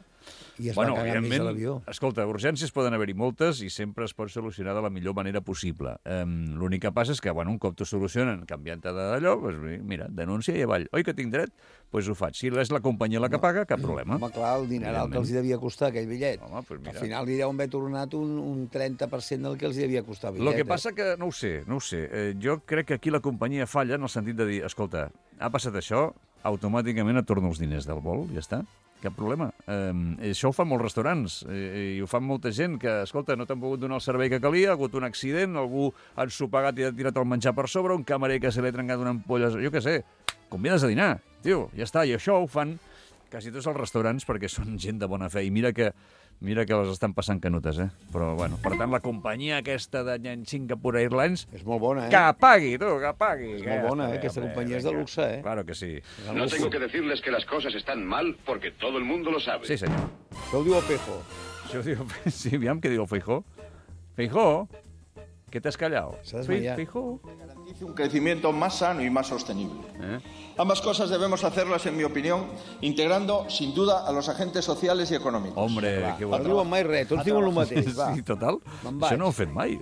I es va cagar més a l'avió. Escolta, urgències poden haver-hi moltes i sempre es pot solucionar de la millor manera possible. Um, L'únic que passa és que, bueno, un cop t'ho solucionen canviant-te d'allò, pues, mira, denúncia i avall. Oi que tinc dret? Doncs pues ho faig. Si és la companyia la que paga, cap problema. Home, clar, el dineral que els devia costar aquell bitllet. Home, pues mira. Al final li deuen haver tornat un, un trenta per cent del que els devia costar el bitllet. El que passa que, no ho sé, no ho sé. Eh, jo crec que aquí la companyia falla en el sentit de dir, escolta, ha passat això, automàticament et torno els diners del vol, ja està. Cap problema. Eh, això ho fan molts restaurants eh, i ho fan molta gent que, escolta, no t'han pogut donar el servei que calia, ha hagut un accident, algú ha ensopegat i ha tirat el menjar per sobre, un camarer que se li ha trencat una ampolla, jo què sé, convides a dinar, tio, ja està. I això ho fan quasi tots els restaurants perquè són gent de bona fe. I mira que Mira que les estan passant canutes, eh? Però, bueno, per tant, la companyia aquesta de Singapore Airlines... És molt bona, eh? Que pagui, tu, que pagui. És molt bona, eh? Aquesta companyia és de luxe, eh? Claro que sí. No tengo que decirles que las cosas están mal porque todo el mundo lo sabe. Sí, senyor. Això ho diu el Feijó. Això ho diu... Sí, aviam què diu el Feijó. Feijó, ¿qué te has callado? Feijó. Garantice un crecimiento más sano y más sostenible. ¿Eh? Ambas cosas debemos hacerlas, en mi opinión, integrando, sin duda, a los agentes sociales y econòmics. Hombre, va, que no bueno. diuen mai res, tots diuen el mateix, va. Sí, total. Això no ho he fet mai.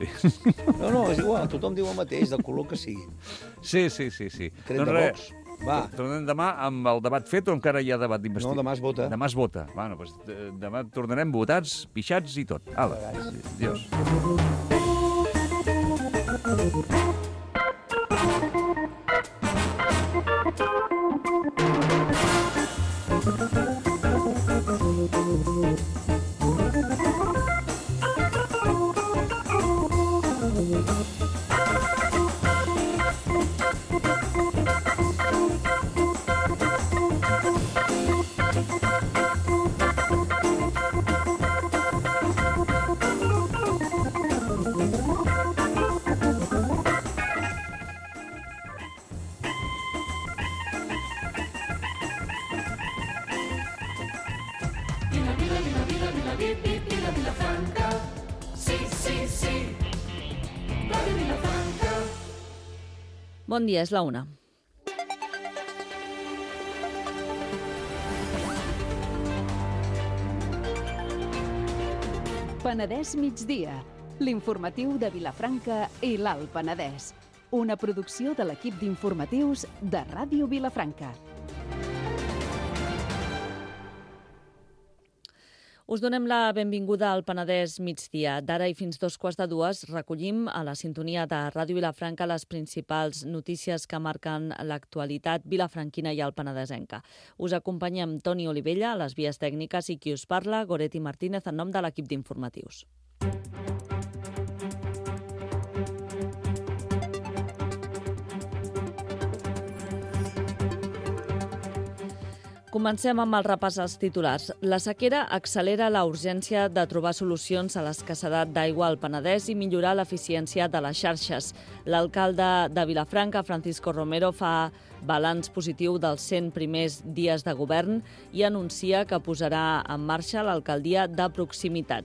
No, no, és igual, tothom diu el mateix, del color que sigui. Sí, sí, sí, sí. Tret de Vox. Va. Tornem demà amb el debat fet o encara hi ha debat d'investigació? No, demà es vota. Demà es vota. Bueno, doncs demà tornarem votats, pixats i tot. Ala, adiós. Bon dia, és la una. Penedès migdia, l'informatiu de Vilafranca i l'Alt Penedès. Una producció de l'equip d'informatius de Ràdio Vilafranca. Us donem la benvinguda al Penedès migdia. D'ara i fins dos quarts de dues recollim a la sintonia de Ràdio Vilafranca les principals notícies que marquen l'actualitat vilafranquina i alpenedesenca. Us acompanyem Toni Olivella a les vies tècniques i qui us parla, Goretti Martínez, en nom de l'equip d'informatius. Comencem amb el repàs als titulars. La sequera accelera la urgència de trobar solucions a l'escassedat d'aigua al Penedès i millorar l'eficiència de les xarxes. L'alcalde de Vilafranca, Francisco Romero, fa balanç positiu dels cent primers dies de govern i anuncia que posarà en marxa l'alcaldia de proximitat.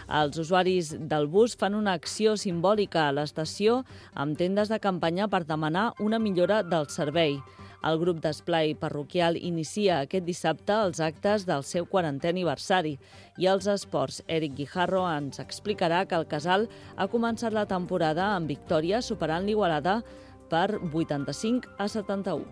Els usuaris del bus fan una acció simbòlica a l'estació amb tendes de campanya per demanar una millora del servei. El grup d'esplai parroquial inicia aquest dissabte els actes del seu quarantè aniversari i els esports. Eric Guijarro ens explicarà que el Casal ha començat la temporada amb victòria superant l'Igualada per vuitanta-cinc a setanta-u.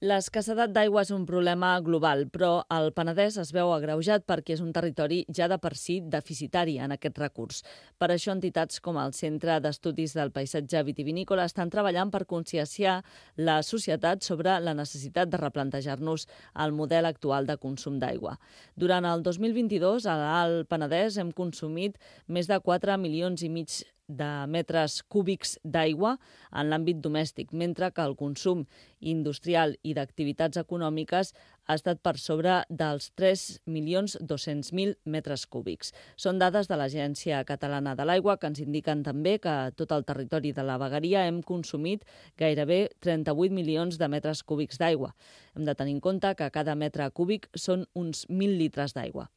L'escassedat d'aigua és un problema global, però el Penedès es veu agreujat perquè és un territori ja de per si deficitari en aquest recurs. Per això, entitats com el Centre d'Estudis del Paisatge Vitivinícola estan treballant per conscienciar la societat sobre la necessitat de replantejar-nos el model actual de consum d'aigua. Durant el dos mil vint-i-dos, a l'Alt Penedès hem consumit més de quatre milions i mig de metres cúbics d'aigua en l'àmbit domèstic, mentre que el consum industrial i d'activitats econòmiques ha estat per sobre dels tres milions dos-cents mil metres cúbics. Són dades de l'Agència Catalana de l'Aigua que ens indiquen també que a tot el territori de la vegueria hem consumit gairebé trenta-vuit milions de metres cúbics d'aigua. Hem de tenir en compte que cada metre cúbic són uns mil litres d'aigua.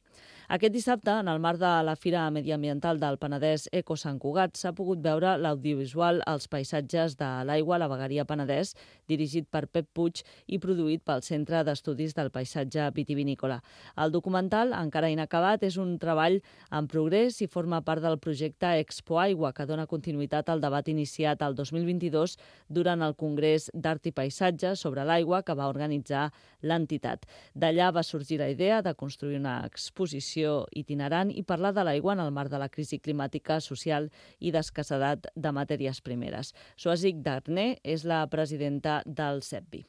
Aquest dissabte, en el marc de la Fira Mediambiental del Penedès Eco Sant Cugat, s'ha pogut veure l'audiovisual Els paisatges de l'aigua a la Vegueria Penedès, dirigit per Pep Puig i produït pel Centre d'Estudis del Paisatge Vitivinícola. El documental, encara inacabat, és un treball en progrés i forma part del projecte Expo Aigua, que dona continuïtat al debat iniciat el dos mil vint-i-dos durant el Congrés d'Art i Paisatge sobre l'aigua que va organitzar l'entitat. D'allà va sorgir la idea de construir una exposició itinerant i parlar de l'aigua en el marc de la crisi climàtica, social i d'escassedat de matèries primeres. Soasig Darné és la presidenta del CEPVI.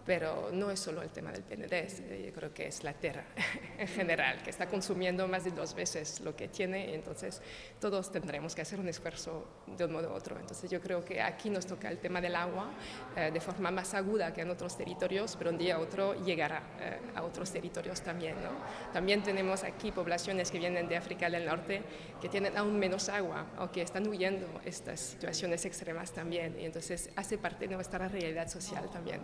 Pero no es solo el tema del Penedès, yo creo que es la tierra en general, que está consumiendo más de dos veces lo que tiene, y entonces todos tendremos que hacer un esfuerzo de un modo u otro. Entonces yo creo que aquí nos toca el tema del agua eh, de forma más aguda que en otros territorios, pero un día a otro llegará eh, a otros territorios también, ¿no? También tenemos aquí poblaciones que vienen de África del Norte que tienen aún menos agua o que están huyendo estas situaciones extremas también, y entonces hace parte de nuestra realidad social también.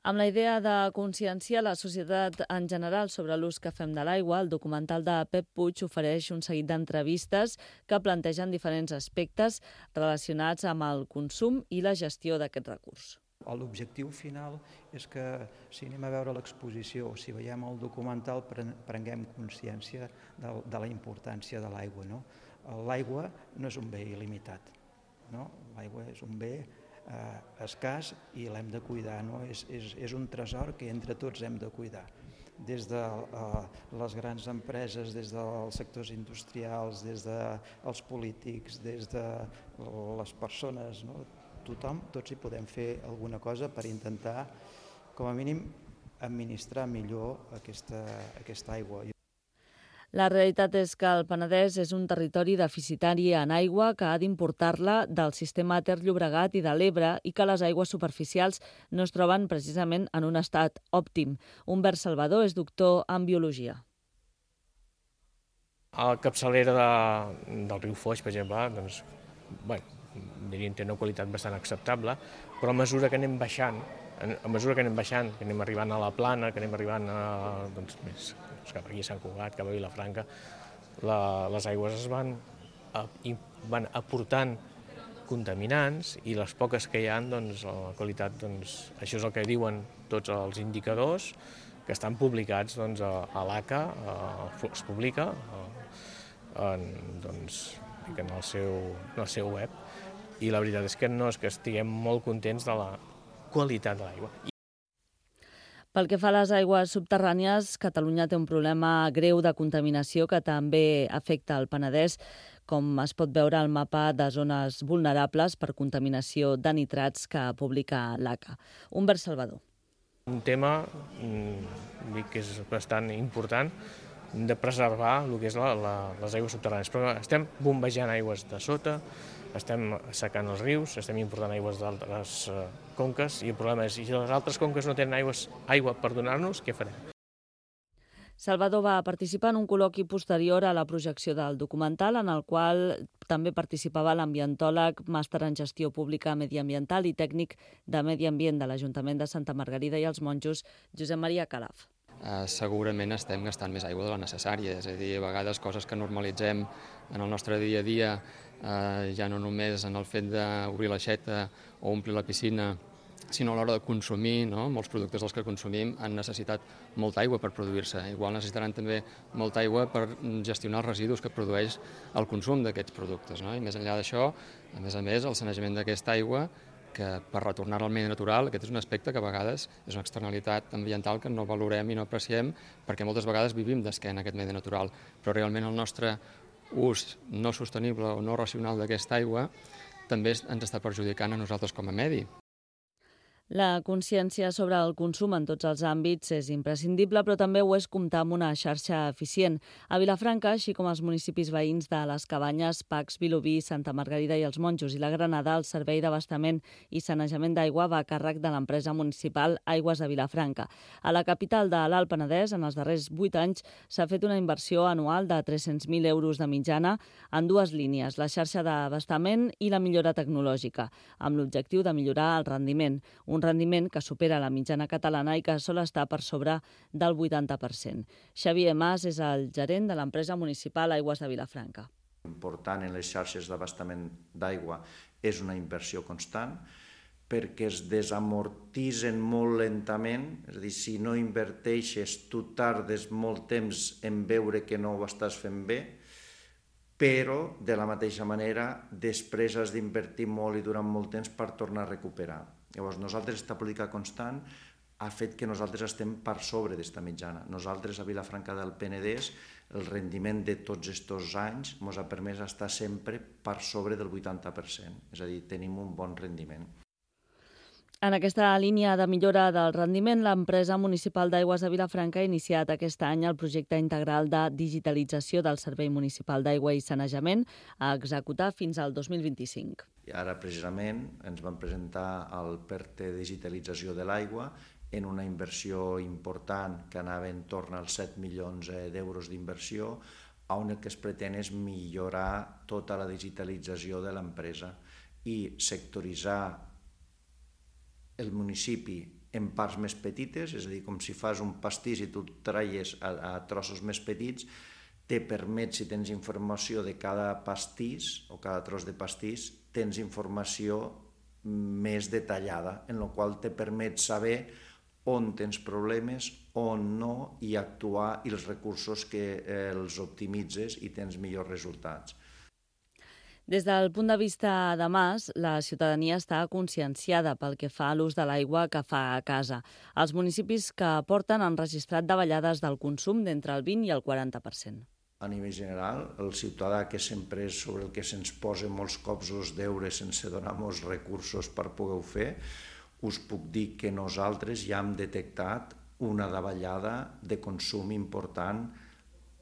Amb la idea de conscienciar la societat en general sobre l'ús que fem de l'aigua, el documental de Pep Puig ofereix un seguit d'entrevistes que plantegen diferents aspectes relacionats amb el consum i la gestió d'aquest recurs. L'objectiu final és que si anem a veure l'exposició o si veiem el documental prenguem consciència de la importància de l'aigua. L'aigua no és un bé il·limitat, l'aigua és un bé escàs i l'hem de cuidar. És un tresor que entre tots hem de cuidar. Des de les grans empreses, des dels sectors industrials, des dels polítics, des de les persones, tothom, tots hi podem fer alguna cosa per intentar, com a mínim, administrar millor aquesta aigua. La realitat és que el Penedès és un territori deficitari en aigua que ha d'importar-la del sistema Ter-Llobregat i de l'Ebre i que les aigües superficials no es troben precisament en un estat òptim. Humbert Salvador és doctor en biologia. A la capçalera del riu Foix, per exemple, doncs, bueno, diríem que té una qualitat bastant acceptable, però a mesura que anem baixant, a mesura que anem baixant, que anem arribant a la Plana, que anem arribant a, doncs, més, cap aquí a Sant Cugat, cap a Vilafranca, la, les aigües es van, a, van aportant contaminants i les poques que hi ha, doncs, la qualitat, doncs, això és el que diuen tots els indicadors que estan publicats doncs, a, a l'A C A, es publica en, doncs, en, el seu, en el seu web, i la veritat és que no és que estiguem molt contents de la qualitat de l'aigua. Pel que fa a les aigües subterrànies, Catalunya té un problema greu de contaminació que també afecta el Penedès, com es pot veure al mapa de zones vulnerables per contaminació de nitrats que publica l'A C A. Humbert Salvador. Un tema dic que és bastant important de preservar el que és la, la, les aigües subterrànies. Però estem bombejant aigües de sota, estem secant els rius, estem important aigües d'altres uh, conques, i el problema és, si les altres conques no tenen aigües, aigua per donar-nos, què farem? Salvador va participar en un col·loqui posterior a la projecció del documental, en el qual també participava l'ambientòleg, màster en gestió pública mediambiental i tècnic de medi ambient de l'Ajuntament de Santa Margarida i els Monjos, Josep Maria Calaf. Uh, segurament estem gastant més aigua de la necessària, és a dir, a vegades coses que normalitzem en el nostre dia a dia, uh, ja no només en el fet d'obrir l'aixeta o omplir la piscina, sinó a l'hora de consumir, no? Molts productes dels que consumim han necessitat molta aigua per produir-se. Igual necessitaran també molta aigua per gestionar els residus que produeix el consum d'aquests productes, no? I més enllà d'això, a més a més, el sanejament d'aquesta aigua, que per retornar al medi natural, aquest és un aspecte que a vegades és una externalitat ambiental que no valorem i no apreciem, perquè moltes vegades vivim d'esquena a aquest medi natural, però realment el nostre ús no sostenible o no racional d'aquesta aigua també ens està perjudicant a nosaltres com a medi. La consciència sobre el consum en tots els àmbits és imprescindible, però també ho és comptar amb una xarxa eficient. A Vilafranca, així com als municipis veïns de les Cabanyes, Pacs, Vilobí, Santa Margarida i els Monjos i la Granada, el servei d'abastament i sanejament d'aigua va a càrrec de l'empresa municipal Aigües de Vilafranca. A la capital de l'Alt Penedès, en els darrers vuit anys, s'ha fet una inversió anual de tres-cents mil euros de mitjana en dues línies, la xarxa d'abastament i la millora tecnològica, amb l'objectiu de millorar el rendiment. Un un rendiment que supera la mitjana catalana i que sol estar per sobre del vuitanta per cent. Xavier Mas és el gerent de l'empresa municipal Aigües de Vilafranca. Important en les xarxes d'abastament d'aigua és una inversió constant, perquè es desamortitzen molt lentament, és a dir, si no inverteixes, tu tardes molt temps en veure que no ho estàs fent bé, però de la mateixa manera després has d'invertir molt i durant molt temps per tornar a recuperar. Llavors, nosaltres, aquesta política constant ha fet que nosaltres estem per sobre d'esta mitjana. Nosaltres, a Vilafranca del Penedès, el rendiment de tots aquests anys ens ha permès estar sempre per sobre del vuitanta per cent, és a dir, tenim un bon rendiment. En aquesta línia de millora del rendiment, l'empresa municipal d'Aigües de Vilafranca ha iniciat aquest any el projecte integral de digitalització del Servei Municipal d'Aigua i Sanejament a executar fins al dos mil vint-i-cinc. I ara, precisament, ens van presentar el PERTE de digitalització de l'aigua en una inversió important que anava en torn als set milions d'euros d'inversió, on el que es pretén és millorar tota la digitalització de l'empresa i sectoritzar el municipi en parts més petites, és a dir, com si fas un pastís i tu el traies a, a trossos més petits, te permet, si tens informació de cada pastís o cada tros de pastís, tens informació més detallada, en la qual te permet saber on tens problemes, on no, i actuar i els recursos que eh, els optimitzes i tens millors resultats. Des del punt de vista de Mas, la ciutadania està conscienciada pel que fa a l'ús de l'aigua que fa a casa. Els municipis que aporten han registrat davallades del consum d'entre el vint i el quaranta per cent. A nivell general, el ciutadà, que sempre és sobre el que se'ns posa molts cops els deures sense donar molts recursos per poder-ho fer, us puc dir que nosaltres ja hem detectat una davallada de consum important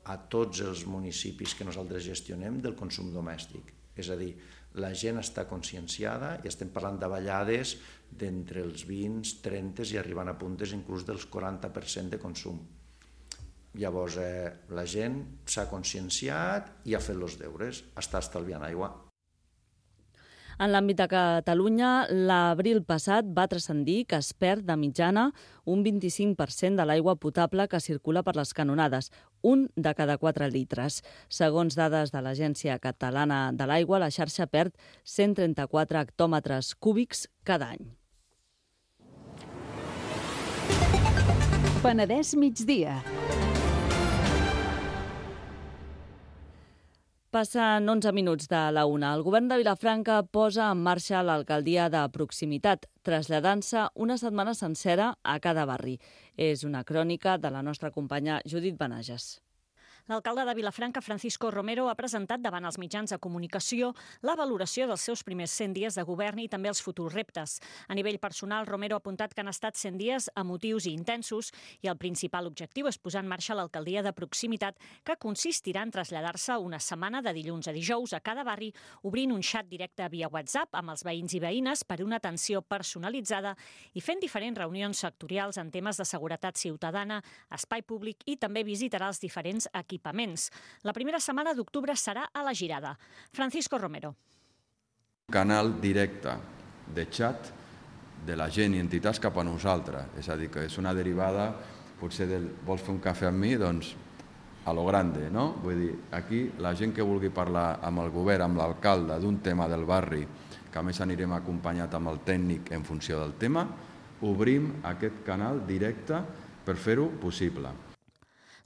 a tots els municipis que nosaltres gestionem del consum domèstic. És a dir, la gent està conscienciada i estem parlant de davallades d'entre els vint, trenta i arribant a puntes inclús dels quaranta per cent de consum. Llavors, eh, la gent s'ha conscienciat i ha fet els deures, està estalviant aigua. En l'àmbit de Catalunya, l'abril passat va transcendir que es perd de mitjana un vint-i-cinc per cent de l'aigua potable que circula per les canonades, un de cada quatre litres. Segons dades de l'Agència Catalana de l'Aigua, la xarxa perd cent trenta-quatre hectòmetres cúbics cada any. Penedès migdia. Passen onze minuts de la una. El govern de Vilafranca posa en marxa l'alcaldia de proximitat, traslladant-se una setmana sencera a cada barri. És una crònica de la nostra companya Judit Benages. L'alcalde de Vilafranca, Francisco Romero, ha presentat davant els mitjans de comunicació la valoració dels seus primers cent dies de govern i també els futurs reptes. A nivell personal, Romero ha apuntat que han estat cent dies emotius i intensos i el principal objectiu és posar en marxa l'alcaldia de proximitat, que consistirà en traslladar-se una setmana de dilluns a dijous a cada barri, obrint un xat directe via WhatsApp amb els veïns i veïnes per una atenció personalitzada i fent diferents reunions sectorials en temes de seguretat ciutadana, espai públic i també visitarà els diferents equipaments. La primera setmana d'octubre serà a la Girada. Francisco Romero. Canal directe de xat de la gent i entitats cap a nosaltres. És a dir, que és una derivada, potser del vols fer un cafè amb mi, doncs a lo grande, no? Vull dir, aquí la gent que vulgui parlar amb el govern, amb l'alcalde, d'un tema del barri, que a més anirem acompanyat amb el tècnic en funció del tema, obrim aquest canal directe per fer-ho possible.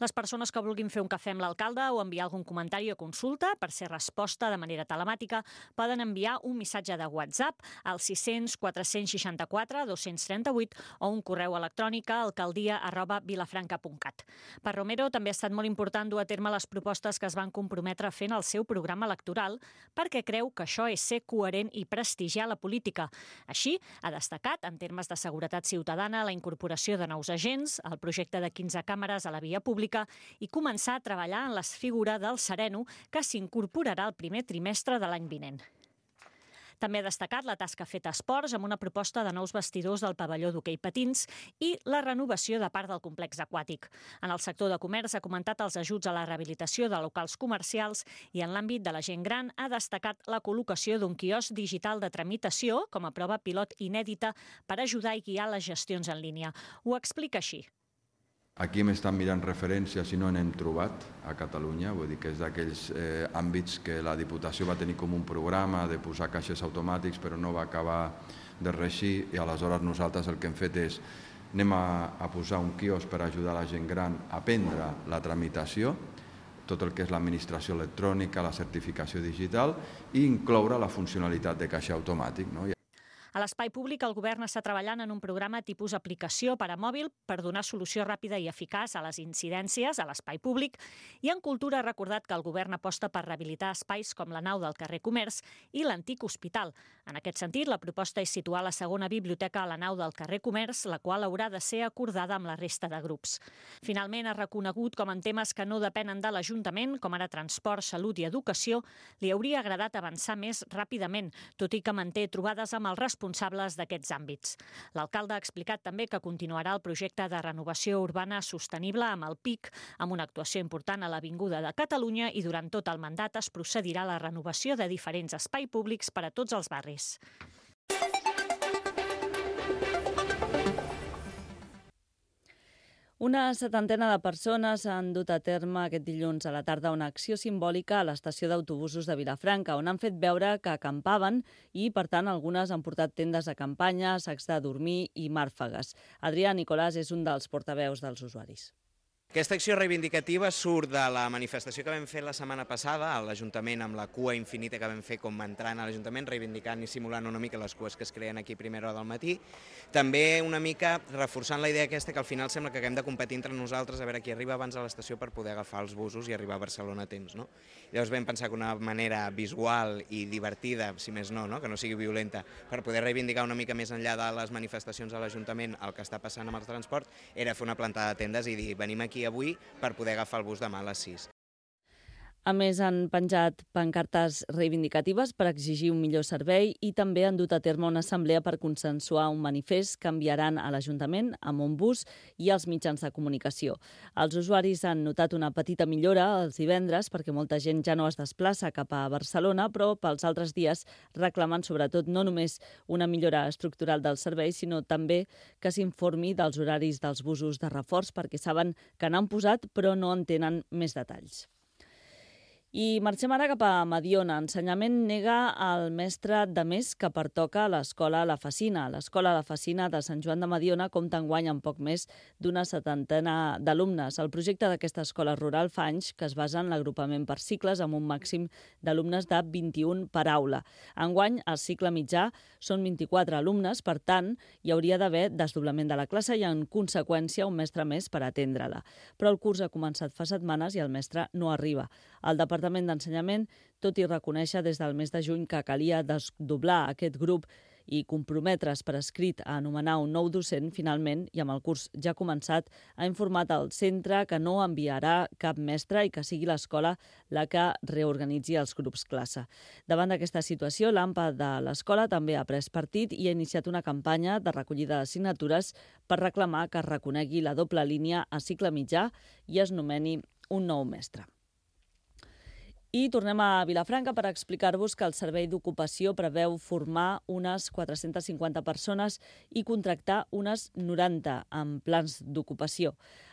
Les persones que vulguin fer un cafè amb l'alcalde o enviar algun comentari o consulta per ser resposta de manera telemàtica poden enviar un missatge de WhatsApp al sis cents quatre cents seixanta-quatre dos-cents trenta-vuit o un correu electrònic a alcaldia arroba vilafranca punt cat. Per Romero també ha estat molt important dur a terme les propostes que es van comprometre fent el seu programa electoral perquè creu que això és ser coherent i prestigiar la política. Així, ha destacat, en termes de seguretat ciutadana, la incorporació de nous agents, el projecte de quinze càmeres a la via pública i començar a treballar en la figura del sereno que s'incorporarà el primer trimestre de l'any vinent. També ha destacat la tasca feta a esports amb una proposta de nous vestidors del pavelló d'hoquei patins i la renovació de part del complex aquàtic. En el sector de comerç ha comentat els ajuts a la rehabilitació de locals comercials i en l'àmbit de la gent gran ha destacat la col·locació d'un quiosc digital de tramitació com a prova pilot inèdita per ajudar i guiar les gestions en línia. Ho explica així. Aquí hem estat mirant referències i no n'hem trobat a Catalunya, vull dir que és d'aquells eh, àmbits que la Diputació va tenir com un programa de posar caixers automàtics però no va acabar de reeixir i aleshores nosaltres el que hem fet és anem a, a posar un quiosc per ajudar la gent gran a aprendre la tramitació, tot el que és l'administració electrònica, la certificació digital i incloure la funcionalitat de caixer automàtic, no? A l'espai públic, el govern està treballant en un programa tipus aplicació per a mòbil per donar solució ràpida i eficaç a les incidències a l'espai públic i en cultura ha recordat que el govern aposta per rehabilitar espais com la nau del carrer Comerç i l'antic hospital. En aquest sentit, la proposta és situar la segona biblioteca a la nau del carrer Comerç, la qual haurà de ser acordada amb la resta de grups. Finalment, ha reconegut com en temes que no depenen de l'Ajuntament, com ara transport, salut i educació, li hauria agradat avançar més ràpidament, tot i que manté trobades amb els responsables responsables d'aquests àmbits. L'alcalde ha explicat també que continuarà el projecte de renovació urbana sostenible amb el P I C, amb una actuació important a l'Avinguda de Catalunya i durant tot el mandat es procedirà a la renovació de diferents espais públics per a tots els barris. Una setantena de persones han dut a terme aquest dilluns a la tarda una acció simbòlica a l'estació d'autobusos de Vilafranca, on han fet veure que acampaven i, per tant, algunes han portat tendes de campanya, sacs de dormir i màrfegues. Adrià Nicolàs és un dels portaveus dels usuaris. Aquesta acció reivindicativa surt de la manifestació que vam fer la setmana passada a l'Ajuntament amb la cua infinita que vam fer com entrant a l'Ajuntament, reivindicant i simulant una mica les cues que es creen aquí a primera hora del matí. També una mica reforçant la idea aquesta que al final sembla que haguem de competir entre nosaltres a veure qui arriba abans a l'estació per poder agafar els busos i arribar a Barcelona a temps. No? Llavors vam pensar que una manera visual i divertida, si més no, no? que no sigui violenta, per poder reivindicar una mica més enllà de les manifestacions a l'Ajuntament el que està passant amb el transport, era fer una plantada de tendes i dir venim aquí avui per poder agafar el bus demà a les sis. A més, han penjat pancartes reivindicatives per exigir un millor servei i també han dut a terme una assemblea per consensuar un manifest que enviaran a l'Ajuntament amb un bus i als mitjans de comunicació. Els usuaris han notat una petita millora els divendres perquè molta gent ja no es desplaça cap a Barcelona, però pels altres dies reclamen sobretot no només una millora estructural del servei, sinó també que s'informi dels horaris dels busos de reforç perquè saben que n'han posat però no en tenen més detalls. I marxem ara cap a Mediona. Ensenyament nega al mestre de més que pertoca a l'escola La Facina. L'escola La Facina de Sant Joan de Mediona compta enguany amb poc més d'una setantena d'alumnes. El projecte d'aquesta escola rural fa anys que es basa en l'agrupament per cicles amb un màxim d'alumnes de vint-i-un per aula. Enguany, el cicle mitjà són vint-i-quatre alumnes, per tant, hi hauria d'haver desdoblament de la classe i, en conseqüència, un mestre més per atendre-la. Però el curs ha començat fa setmanes i el mestre no arriba. El Departament d'Ensenyament, tot i reconèixer des del mes de juny que calia desdoblar aquest grup i comprometre's per escrit a anomenar un nou docent, finalment, i amb el curs ja començat, ha informat al centre que no enviarà cap mestre i que sigui l'escola la que reorganitzi els grups classe. Davant d'aquesta situació, l'A M P A de l'escola també ha pres partit i ha iniciat una campanya de recollida de signatures per reclamar que es reconegui la doble línia a cicle mitjà i es nomeni un nou mestre. I tornem a Vilafranca per explicar-vos que el Servei d'Ocupació preveu formar unes quatre-centes cinquanta persones i contractar unes noranta en plans d'ocupació.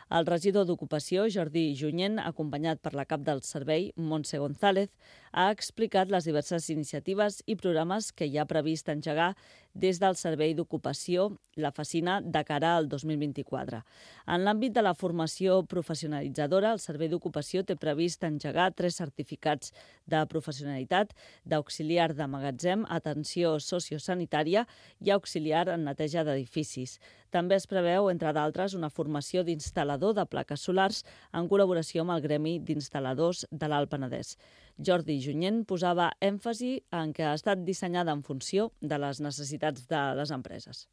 El regidor d'Ocupació, Jordi Junyent, acompanyat per la cap del servei, Montse González, ha explicat les diverses iniciatives i programes que hi ha previst engegar des del Servei d'Ocupació La Facina de cara al dos mil vint-i-quatre. En l'àmbit de la formació professionalitzadora, el Servei d'Ocupació té previst engegar tres certificats de professionalitat d'auxiliar de magatzem, atenció sociosanitària i auxiliar en neteja d'edificis. També es preveu, entre d'altres, una formació d'instal·lador de plaques solars en col·laboració amb el Gremi d'Instal·ladors de l'Alt Penedès. Jordi Junyent posava èmfasi en que ha estat dissenyada en funció de les necessitats de les empreses.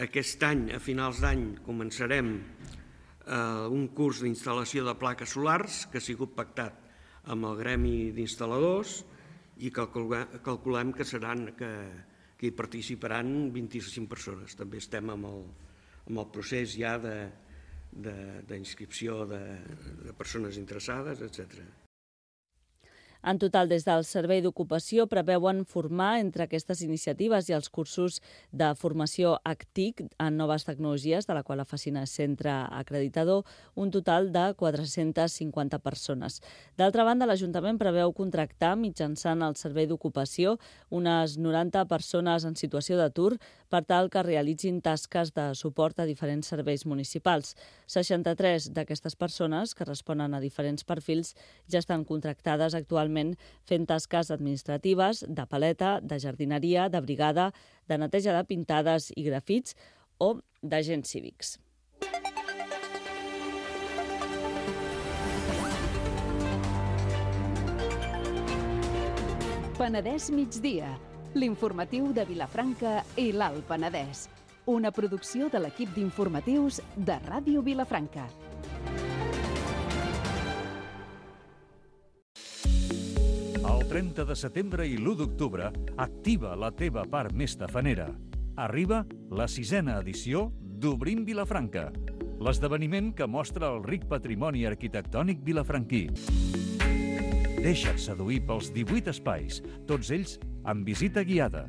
Aquest any, a finals d'any, començarem eh, un curs d'instal·lació de plaques solars que ha sigut pactat amb el Gremi d'Instal·ladors i calculem que seran que, que hi participaran vint-i-cinc persones. També estem amb el, amb el procés ja d'inscripció de, de, de persones interessades, etcètera. En total, des del Servei d'Ocupació preveuen formar entre aquestes iniciatives i els cursos de formació A C T I C en noves tecnologies, de la qual la Facina és centre acreditador, un total de quatre-centes cinquanta persones. D'altra banda, l'Ajuntament preveu contractar mitjançant el Servei d'Ocupació unes noranta persones en situació d'atur per tal que realitzin tasques de suport a diferents serveis municipals. seixanta-tres d'aquestes persones, que responen a diferents perfils, ja estan contractades actualment fent tasques administratives, de paleta, de jardineria, de brigada, de neteja de pintades i grafits o d'agents cívics. Penedès migdia, l'informatiu de Vilafranca i l'Alt Penedès. Una producció de l'equip d'informatius de Ràdio Vilafranca. El trenta de setembre i l'u d'octubre, activa la teva part més tafanera. Arriba la sisena edició d'Obrim Vilafranca, l'esdeveniment que mostra el ric patrimoni arquitectònic vilafranquí. Deixa't seduir pels divuit espais, tots ells amb visita guiada.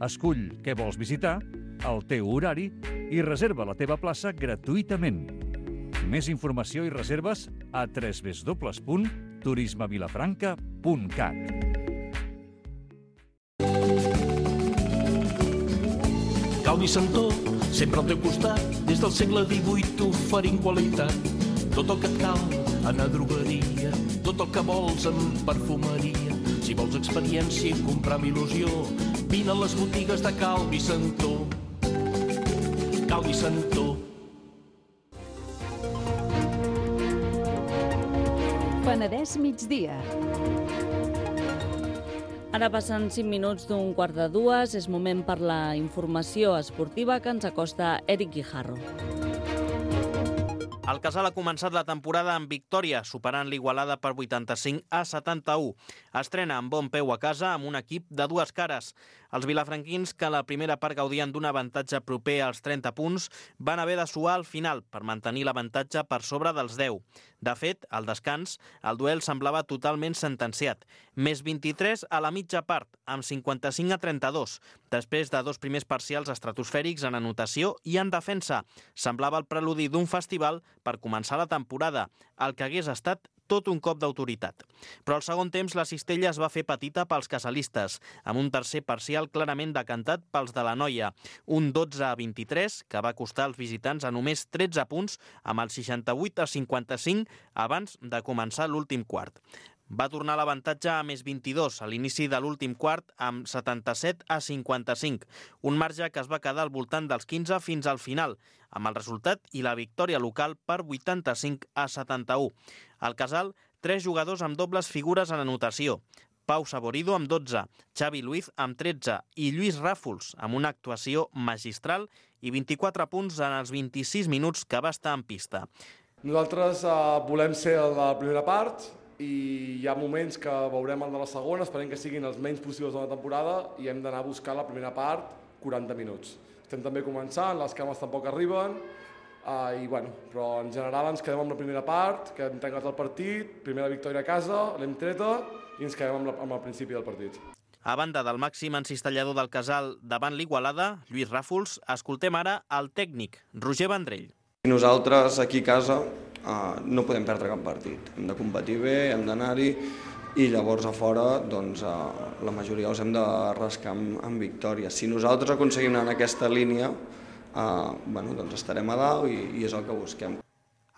Escull què vols visitar, el teu horari i reserva la teva plaça gratuïtament. Més informació i reserves a w w w punt turisme vilafranca punt cat. Calvi Santó, sempre al teu costat, des del segle divuit oferint qualitat. Tot el que et cal en la drogueria, tot el que vols en perfumeria. Si vols experiència i comprar amb il·lusió, vine a les botigues de Calvi Santó. Calvi Santó. Penedès migdia. Ara passen cinc minuts d'un quart de dues. És moment per la informació esportiva que ens acosta Eric Guijarro. El Casal ha començat la temporada amb victòria, superant l'Igualada per vuitanta-cinc a setanta-u. Estrena amb bon peu a casa amb un equip de dues cares. Els vilafranquins, que a la primera part gaudien d'un avantatge proper als trenta punts, van haver de suar al final per mantenir l'avantatge per sobre dels deu. De fet, al descans, el duel semblava totalment sentenciat. Més vint-i-tres a la mitja part, amb cinquanta-cinc a trenta-dos, després de dos primers parcials estratosfèrics en anotació i en defensa. Semblava el preludi d'un festival per començar la temporada, el que hagués estat tot un cop d'autoritat. Però al segon temps la cistella es va fer petita pels casalistes, amb un tercer parcial clarament decantat pels de la Noia, un dotze a vint-i-tres, que va costar als visitants a només tretze punts, amb el seixanta-vuit a cinquanta-cinc abans de començar l'últim quart. Va tornar l'avantatge a més vint-i-dos a l'inici de l'últim quart amb setanta-set a cinquanta-cinc, un marge que es va quedar al voltant dels quinze fins al final, amb el resultat i la victòria local per vuitanta-cinc a setanta-u. Al Casal, tres jugadors amb dobles figures en anotació. Pau Saborido amb dotze, Xavi Luiz amb tretze i Lluís Ràfols amb una actuació magistral i vint-i-quatre punts en els vint-i-sis minuts que va estar en pista. Nosaltres eh, volem ser a la primera part i hi ha moments que veurem el de la segona, esperem que siguin els menys possibles de la temporada i hem d'anar a buscar la primera part quaranta minuts. Estem també començant, les cames tampoc arriben, Uh, i bueno, però en general ens quedem amb la primera part, que hem tancat el partit, primera victòria a casa, l'hem treta i ens quedem amb, la, amb el principi del partit. A banda del màxim encistellador del Casal davant l'Igualada, Lluís Ràfols, escoltem ara el tècnic, Roger Vendrell. Nosaltres aquí a casa uh, no podem perdre cap partit, hem de competir bé, hem d'anar-hi i llavors a fora doncs, uh, la majoria els hem de rascar amb, amb victòria. Si nosaltres aconseguim anar en aquesta línia, Uh, bueno, doncs estarem a dalt i, i és el que busquem.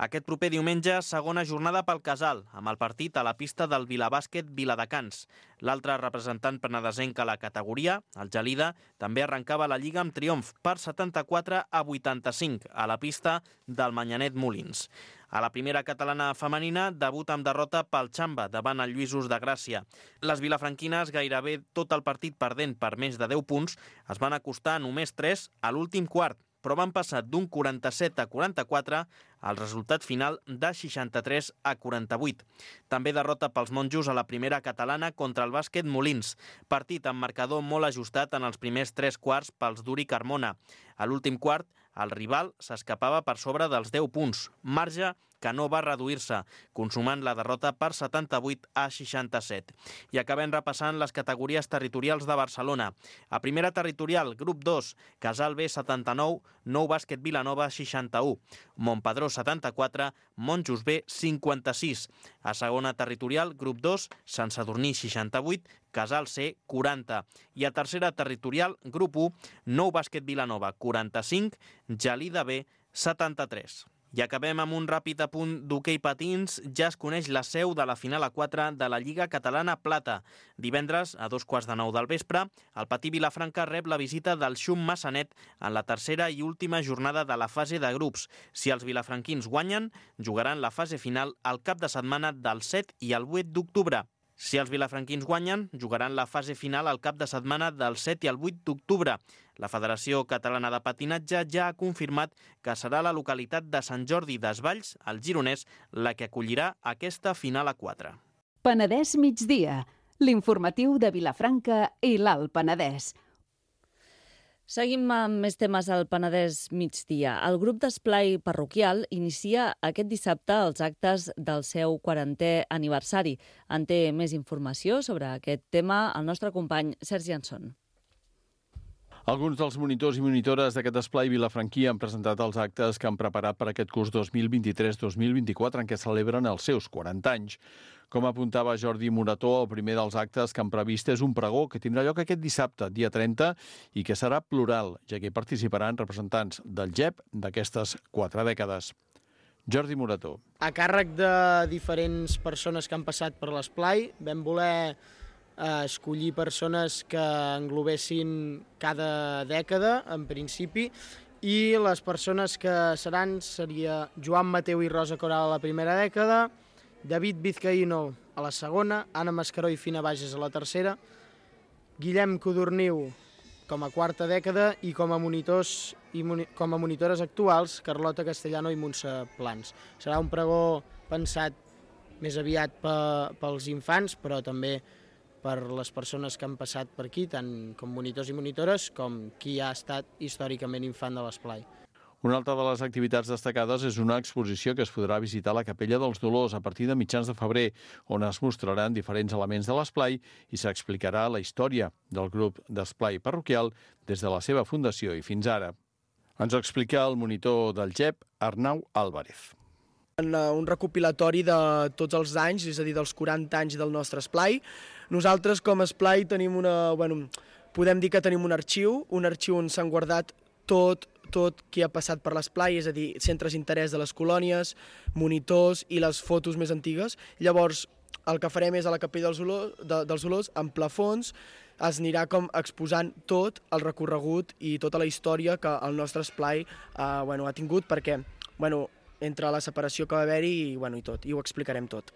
Aquest proper diumenge, segona jornada pel Casal, amb el partit a la pista del Vilabàsquet Viladecans. L'altre representant penedesenc a la categoria, el Gelida, també arrencava la Lliga amb triomf per setanta-quatre a vuitanta-cinc a la pista del Manyanet Molins. A la primera catalana femenina, debut amb derrota pel Xamba davant el Lluïsos de Gràcia. Les vilafranquines, gairebé tot el partit perdent per més de deu punts, es van acostar a només tres a l'últim quart, però van passar d'un quaranta-set a quaranta-quatre al resultat final de seixanta-tres a quaranta-vuit. També derrota pels monjos a la primera catalana contra el bàsquet Molins, partit amb marcador molt ajustat en els primers tres quarts pels Duri Carmona. A l'últim quart, el rival s'escapava per sobre dels deu punts, marge que no va reduir-se, consumant la derrota per setanta-vuit a seixanta-set. I acabem repassant les categories territorials de Barcelona. A primera territorial, grup dos, Casal B setanta-nou, Nou Bàsquet Vilanova seixanta-u, Montpedró setanta-quatre, Monjos B cinquanta-sis. A segona territorial, grup dos, Sant Sadurní seixanta-vuit, Casal C quaranta. I a tercera territorial, grup u, Nou Bàsquet Vilanova quaranta-cinc, Gelida B setanta-tres. I acabem amb un ràpid apunt d'hoquei patins. Ja es coneix la seu de la final a quatre de la Lliga Catalana Plata. Divendres, a dos quarts de nou del vespre, el Patí Vilafranca rep la visita del Xum Massanet en la tercera i última jornada de la fase de grups. Si els vilafranquins guanyen, jugaran la fase final al cap de setmana del set i el vuit d'octubre. Si els vilafranquins guanyen, jugaran la fase final al cap de setmana del set i el vuit d'octubre. La Federació Catalana de Patinatge ja ha confirmat que serà la localitat de Sant Jordi Desvalls, al Gironès, la que acollirà aquesta final a quatre. Penedès migdia, l'informatiu de Vilafranca i l'Alt Penedès. Seguim amb més temes al Penedès migdia. El grup d'esplai parroquial inicia aquest dissabte els actes del seu quarantè aniversari. En té més informació sobre aquest tema el nostre company Sergi Anson. Alguns dels monitors i monitores d'aquest esplai vilafranquí han presentat els actes que han preparat per aquest curs dos mil vint-i-tres dos mil vint-i-quatre en què celebren els seus quaranta anys. Com apuntava Jordi Morató, el primer dels actes que han previst és un pregó que tindrà lloc aquest dissabte, dia trenta, i que serà plural, ja que hi participaran representants del G E P d'aquestes quatre dècades. Jordi Morató. A càrrec de diferents persones que han passat per l'esplai, vam voler eh, escollir persones que englobessin cada dècada, en principi, i les persones que seran seria Joan Mateu i Rosa Coral a la primera dècada, David Vizcaíno a la segona, Anna Mascaró i Fina Bages a la tercera, Guillem Codorniu com a quarta dècada i com a monitors i moni com a monitores actuals, Carlota Castellano i Montse Plans. Serà un pregó pensat més aviat pe pels infants, però també per les persones que han passat per aquí, tant com monitors i monitores, com qui ha estat històricament infant de l'esplai. Una altra de les activitats destacades és una exposició que es podrà visitar a la Capella dels Dolors a partir de mitjans de febrer, on es mostraran diferents elements de l'esplai i s'explicarà la història del grup d'esplai parroquial des de la seva fundació i fins ara. Ens ho explica el monitor del G E P, Arnau Álvarez. Un recopilatori de tots els anys, és a dir, dels quaranta anys del nostre esplai. Nosaltres, com a esplai, tenim una, bueno, podem dir que tenim un arxiu, un arxiu on s'han guardat tot, tot qui ha passat per l'esplai, és a dir, centres d'interès de les colònies, monitors i les fotos més antigues. Llavors, el que farem és a la Capella dels Olors, de, dels Olors, en plafons, es anirà com exposant tot el recorregut i tota la història que el nostre esplai eh, bueno, ha tingut, perquè bueno, entre la separació que va haver-hi i, bueno, i tot, i ho explicarem tot.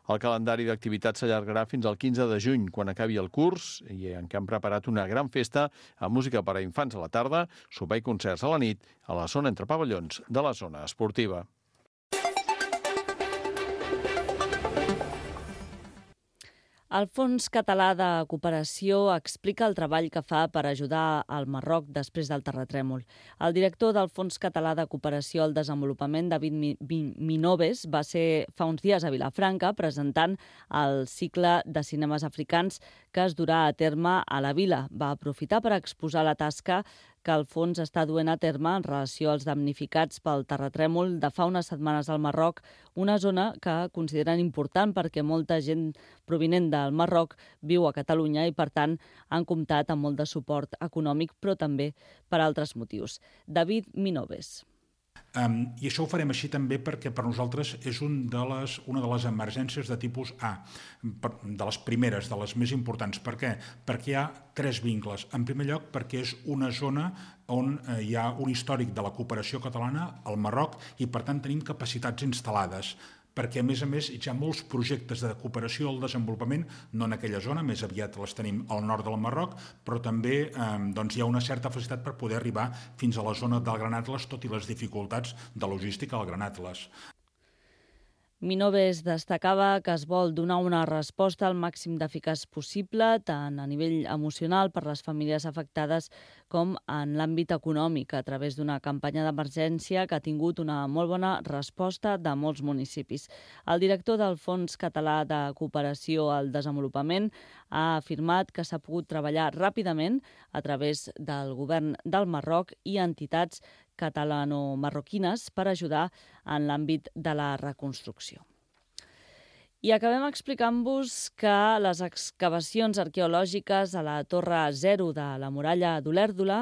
El calendari d'activitats s'allargarà fins al quinze de juny, quan acabi el curs, i en què han preparat una gran festa amb música per a infants a la tarda, sopar i concerts a la nit, a la zona entre pavellons de la zona esportiva. El Fons Català de Cooperació explica el treball que fa per ajudar al Marroc després del terratrèmol. El director del Fons Català de Cooperació al Desenvolupament, David Minoves, va ser fa uns dies a Vilafranca presentant el cicle de cinemes africans que es durà a terme a la vila. Va aprofitar per exposar la tasca que el fons està duent a terme en relació als damnificats pel terratrèmol de fa unes setmanes al Marroc, una zona que consideren important perquè molta gent provinent del Marroc viu a Catalunya i, per tant, han comptat amb molt de suport econòmic, però també per altres motius. David Minoves. Um, I això ho farem així també perquè per nosaltres és un de les, una de les emergències de tipus A, per, de les primeres, de les més importants. Per què? Perquè hi ha tres vincles. En primer lloc, perquè és una zona on eh, hi ha un històric de la cooperació catalana al Marroc i, per tant, tenim capacitats instal·lades. perquè a més a més hi ha molts projectes de cooperació al desenvolupament, no en aquella zona, més aviat les tenim al nord del Marroc, però també eh, doncs hi ha una certa facilitat per poder arribar fins a la zona del Gran Atles, tot i les dificultats de logística al Gran Atles. Minoves destacava que es vol donar una resposta al màxim d'eficaç possible, tant a nivell emocional per les famílies afectades com en l'àmbit econòmic, a través d'una campanya d'emergència que ha tingut una molt bona resposta de molts municipis. El director del Fons Català de Cooperació al Desenvolupament ha afirmat que s'ha pogut treballar ràpidament a través del govern del Marroc i entitats catalano-marroquines per ajudar en l'àmbit de la reconstrucció. I acabem explicant-vos que les excavacions arqueològiques a la Torre Zero de la muralla d'Olèrdola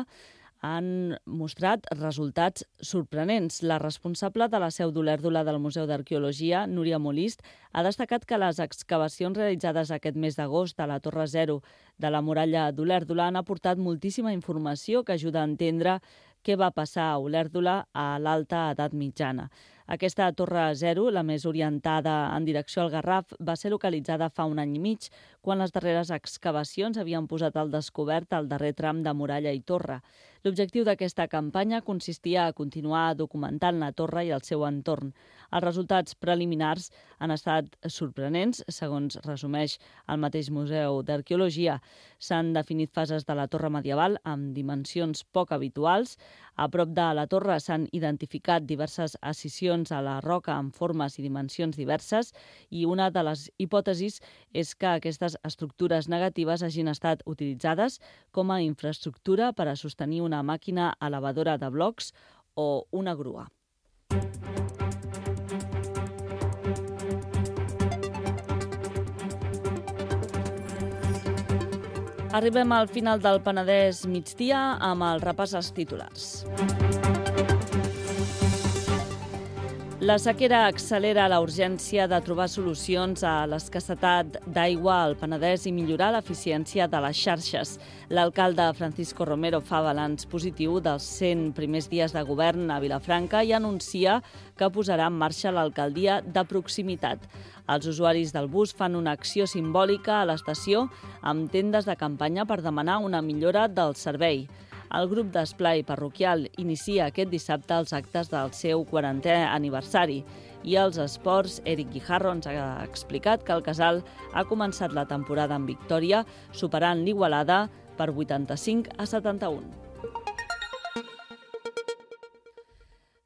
han mostrat resultats sorprenents. La responsable de la seu d'Olèrdola del Museu d'Arqueologia, Núria Molist, ha destacat que les excavacions realitzades aquest mes d'agost a la Torre Zero de la muralla d'Olèrdola han aportat moltíssima informació que ajuda a entendre què va passar a Olèrdola a l'alta edat mitjana. Aquesta Torre Zero, la més orientada en direcció al Garraf, va ser localitzada fa un any i mig, quan les darreres excavacions havien posat al descobert el darrer tram de muralla i torre. L'objectiu d'aquesta campanya consistia a continuar documentant la torre i el seu entorn. Els resultats preliminars han estat sorprenents, segons resumeix el mateix Museu d'Arqueologia. S'han definit fases de la torre medieval amb dimensions poc habituals. A prop de la torre s'han identificat diverses escissions a la roca amb formes i dimensions diverses i una de les hipòtesis és que aquestes estructures negatives hagin estat utilitzades com a infraestructura per a sostenir una màquina elevadora de blocs o una grua. Arribem al final del Penedès migdia amb el repàs als titulars. La sequera accelera la urgència de trobar solucions a l'escassetat d'aigua al Penedès i millorar l'eficiència de les xarxes. L'alcalde Francisco Romero fa balanç positiu dels cent primers dies de govern a Vilafranca i anuncia que posarà en marxa l'alcaldia de proximitat. Els usuaris del bus fan una acció simbòlica a l'estació amb tendes de campanya per demanar una millora del servei. El grup d'esplai parroquial inicia aquest dissabte els actes del seu quarantè aniversari. I als esports, Eric Guijarro ens ha explicat que el Casal ha començat la temporada en victòria, superant l'Igualada per vuitanta-cinc a setanta-un.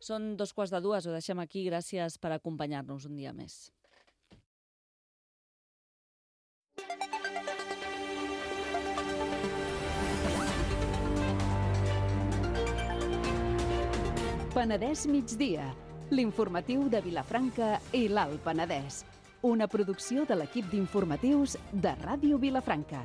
Són dos quarts de dues, ho deixem aquí. Gràcies per acompanyar-nos un dia més. Penedès migdia, l'informatiu de Vilafranca i l'Alt Penedès. Una producció de l'equip d'informatius de Ràdio Vilafranca.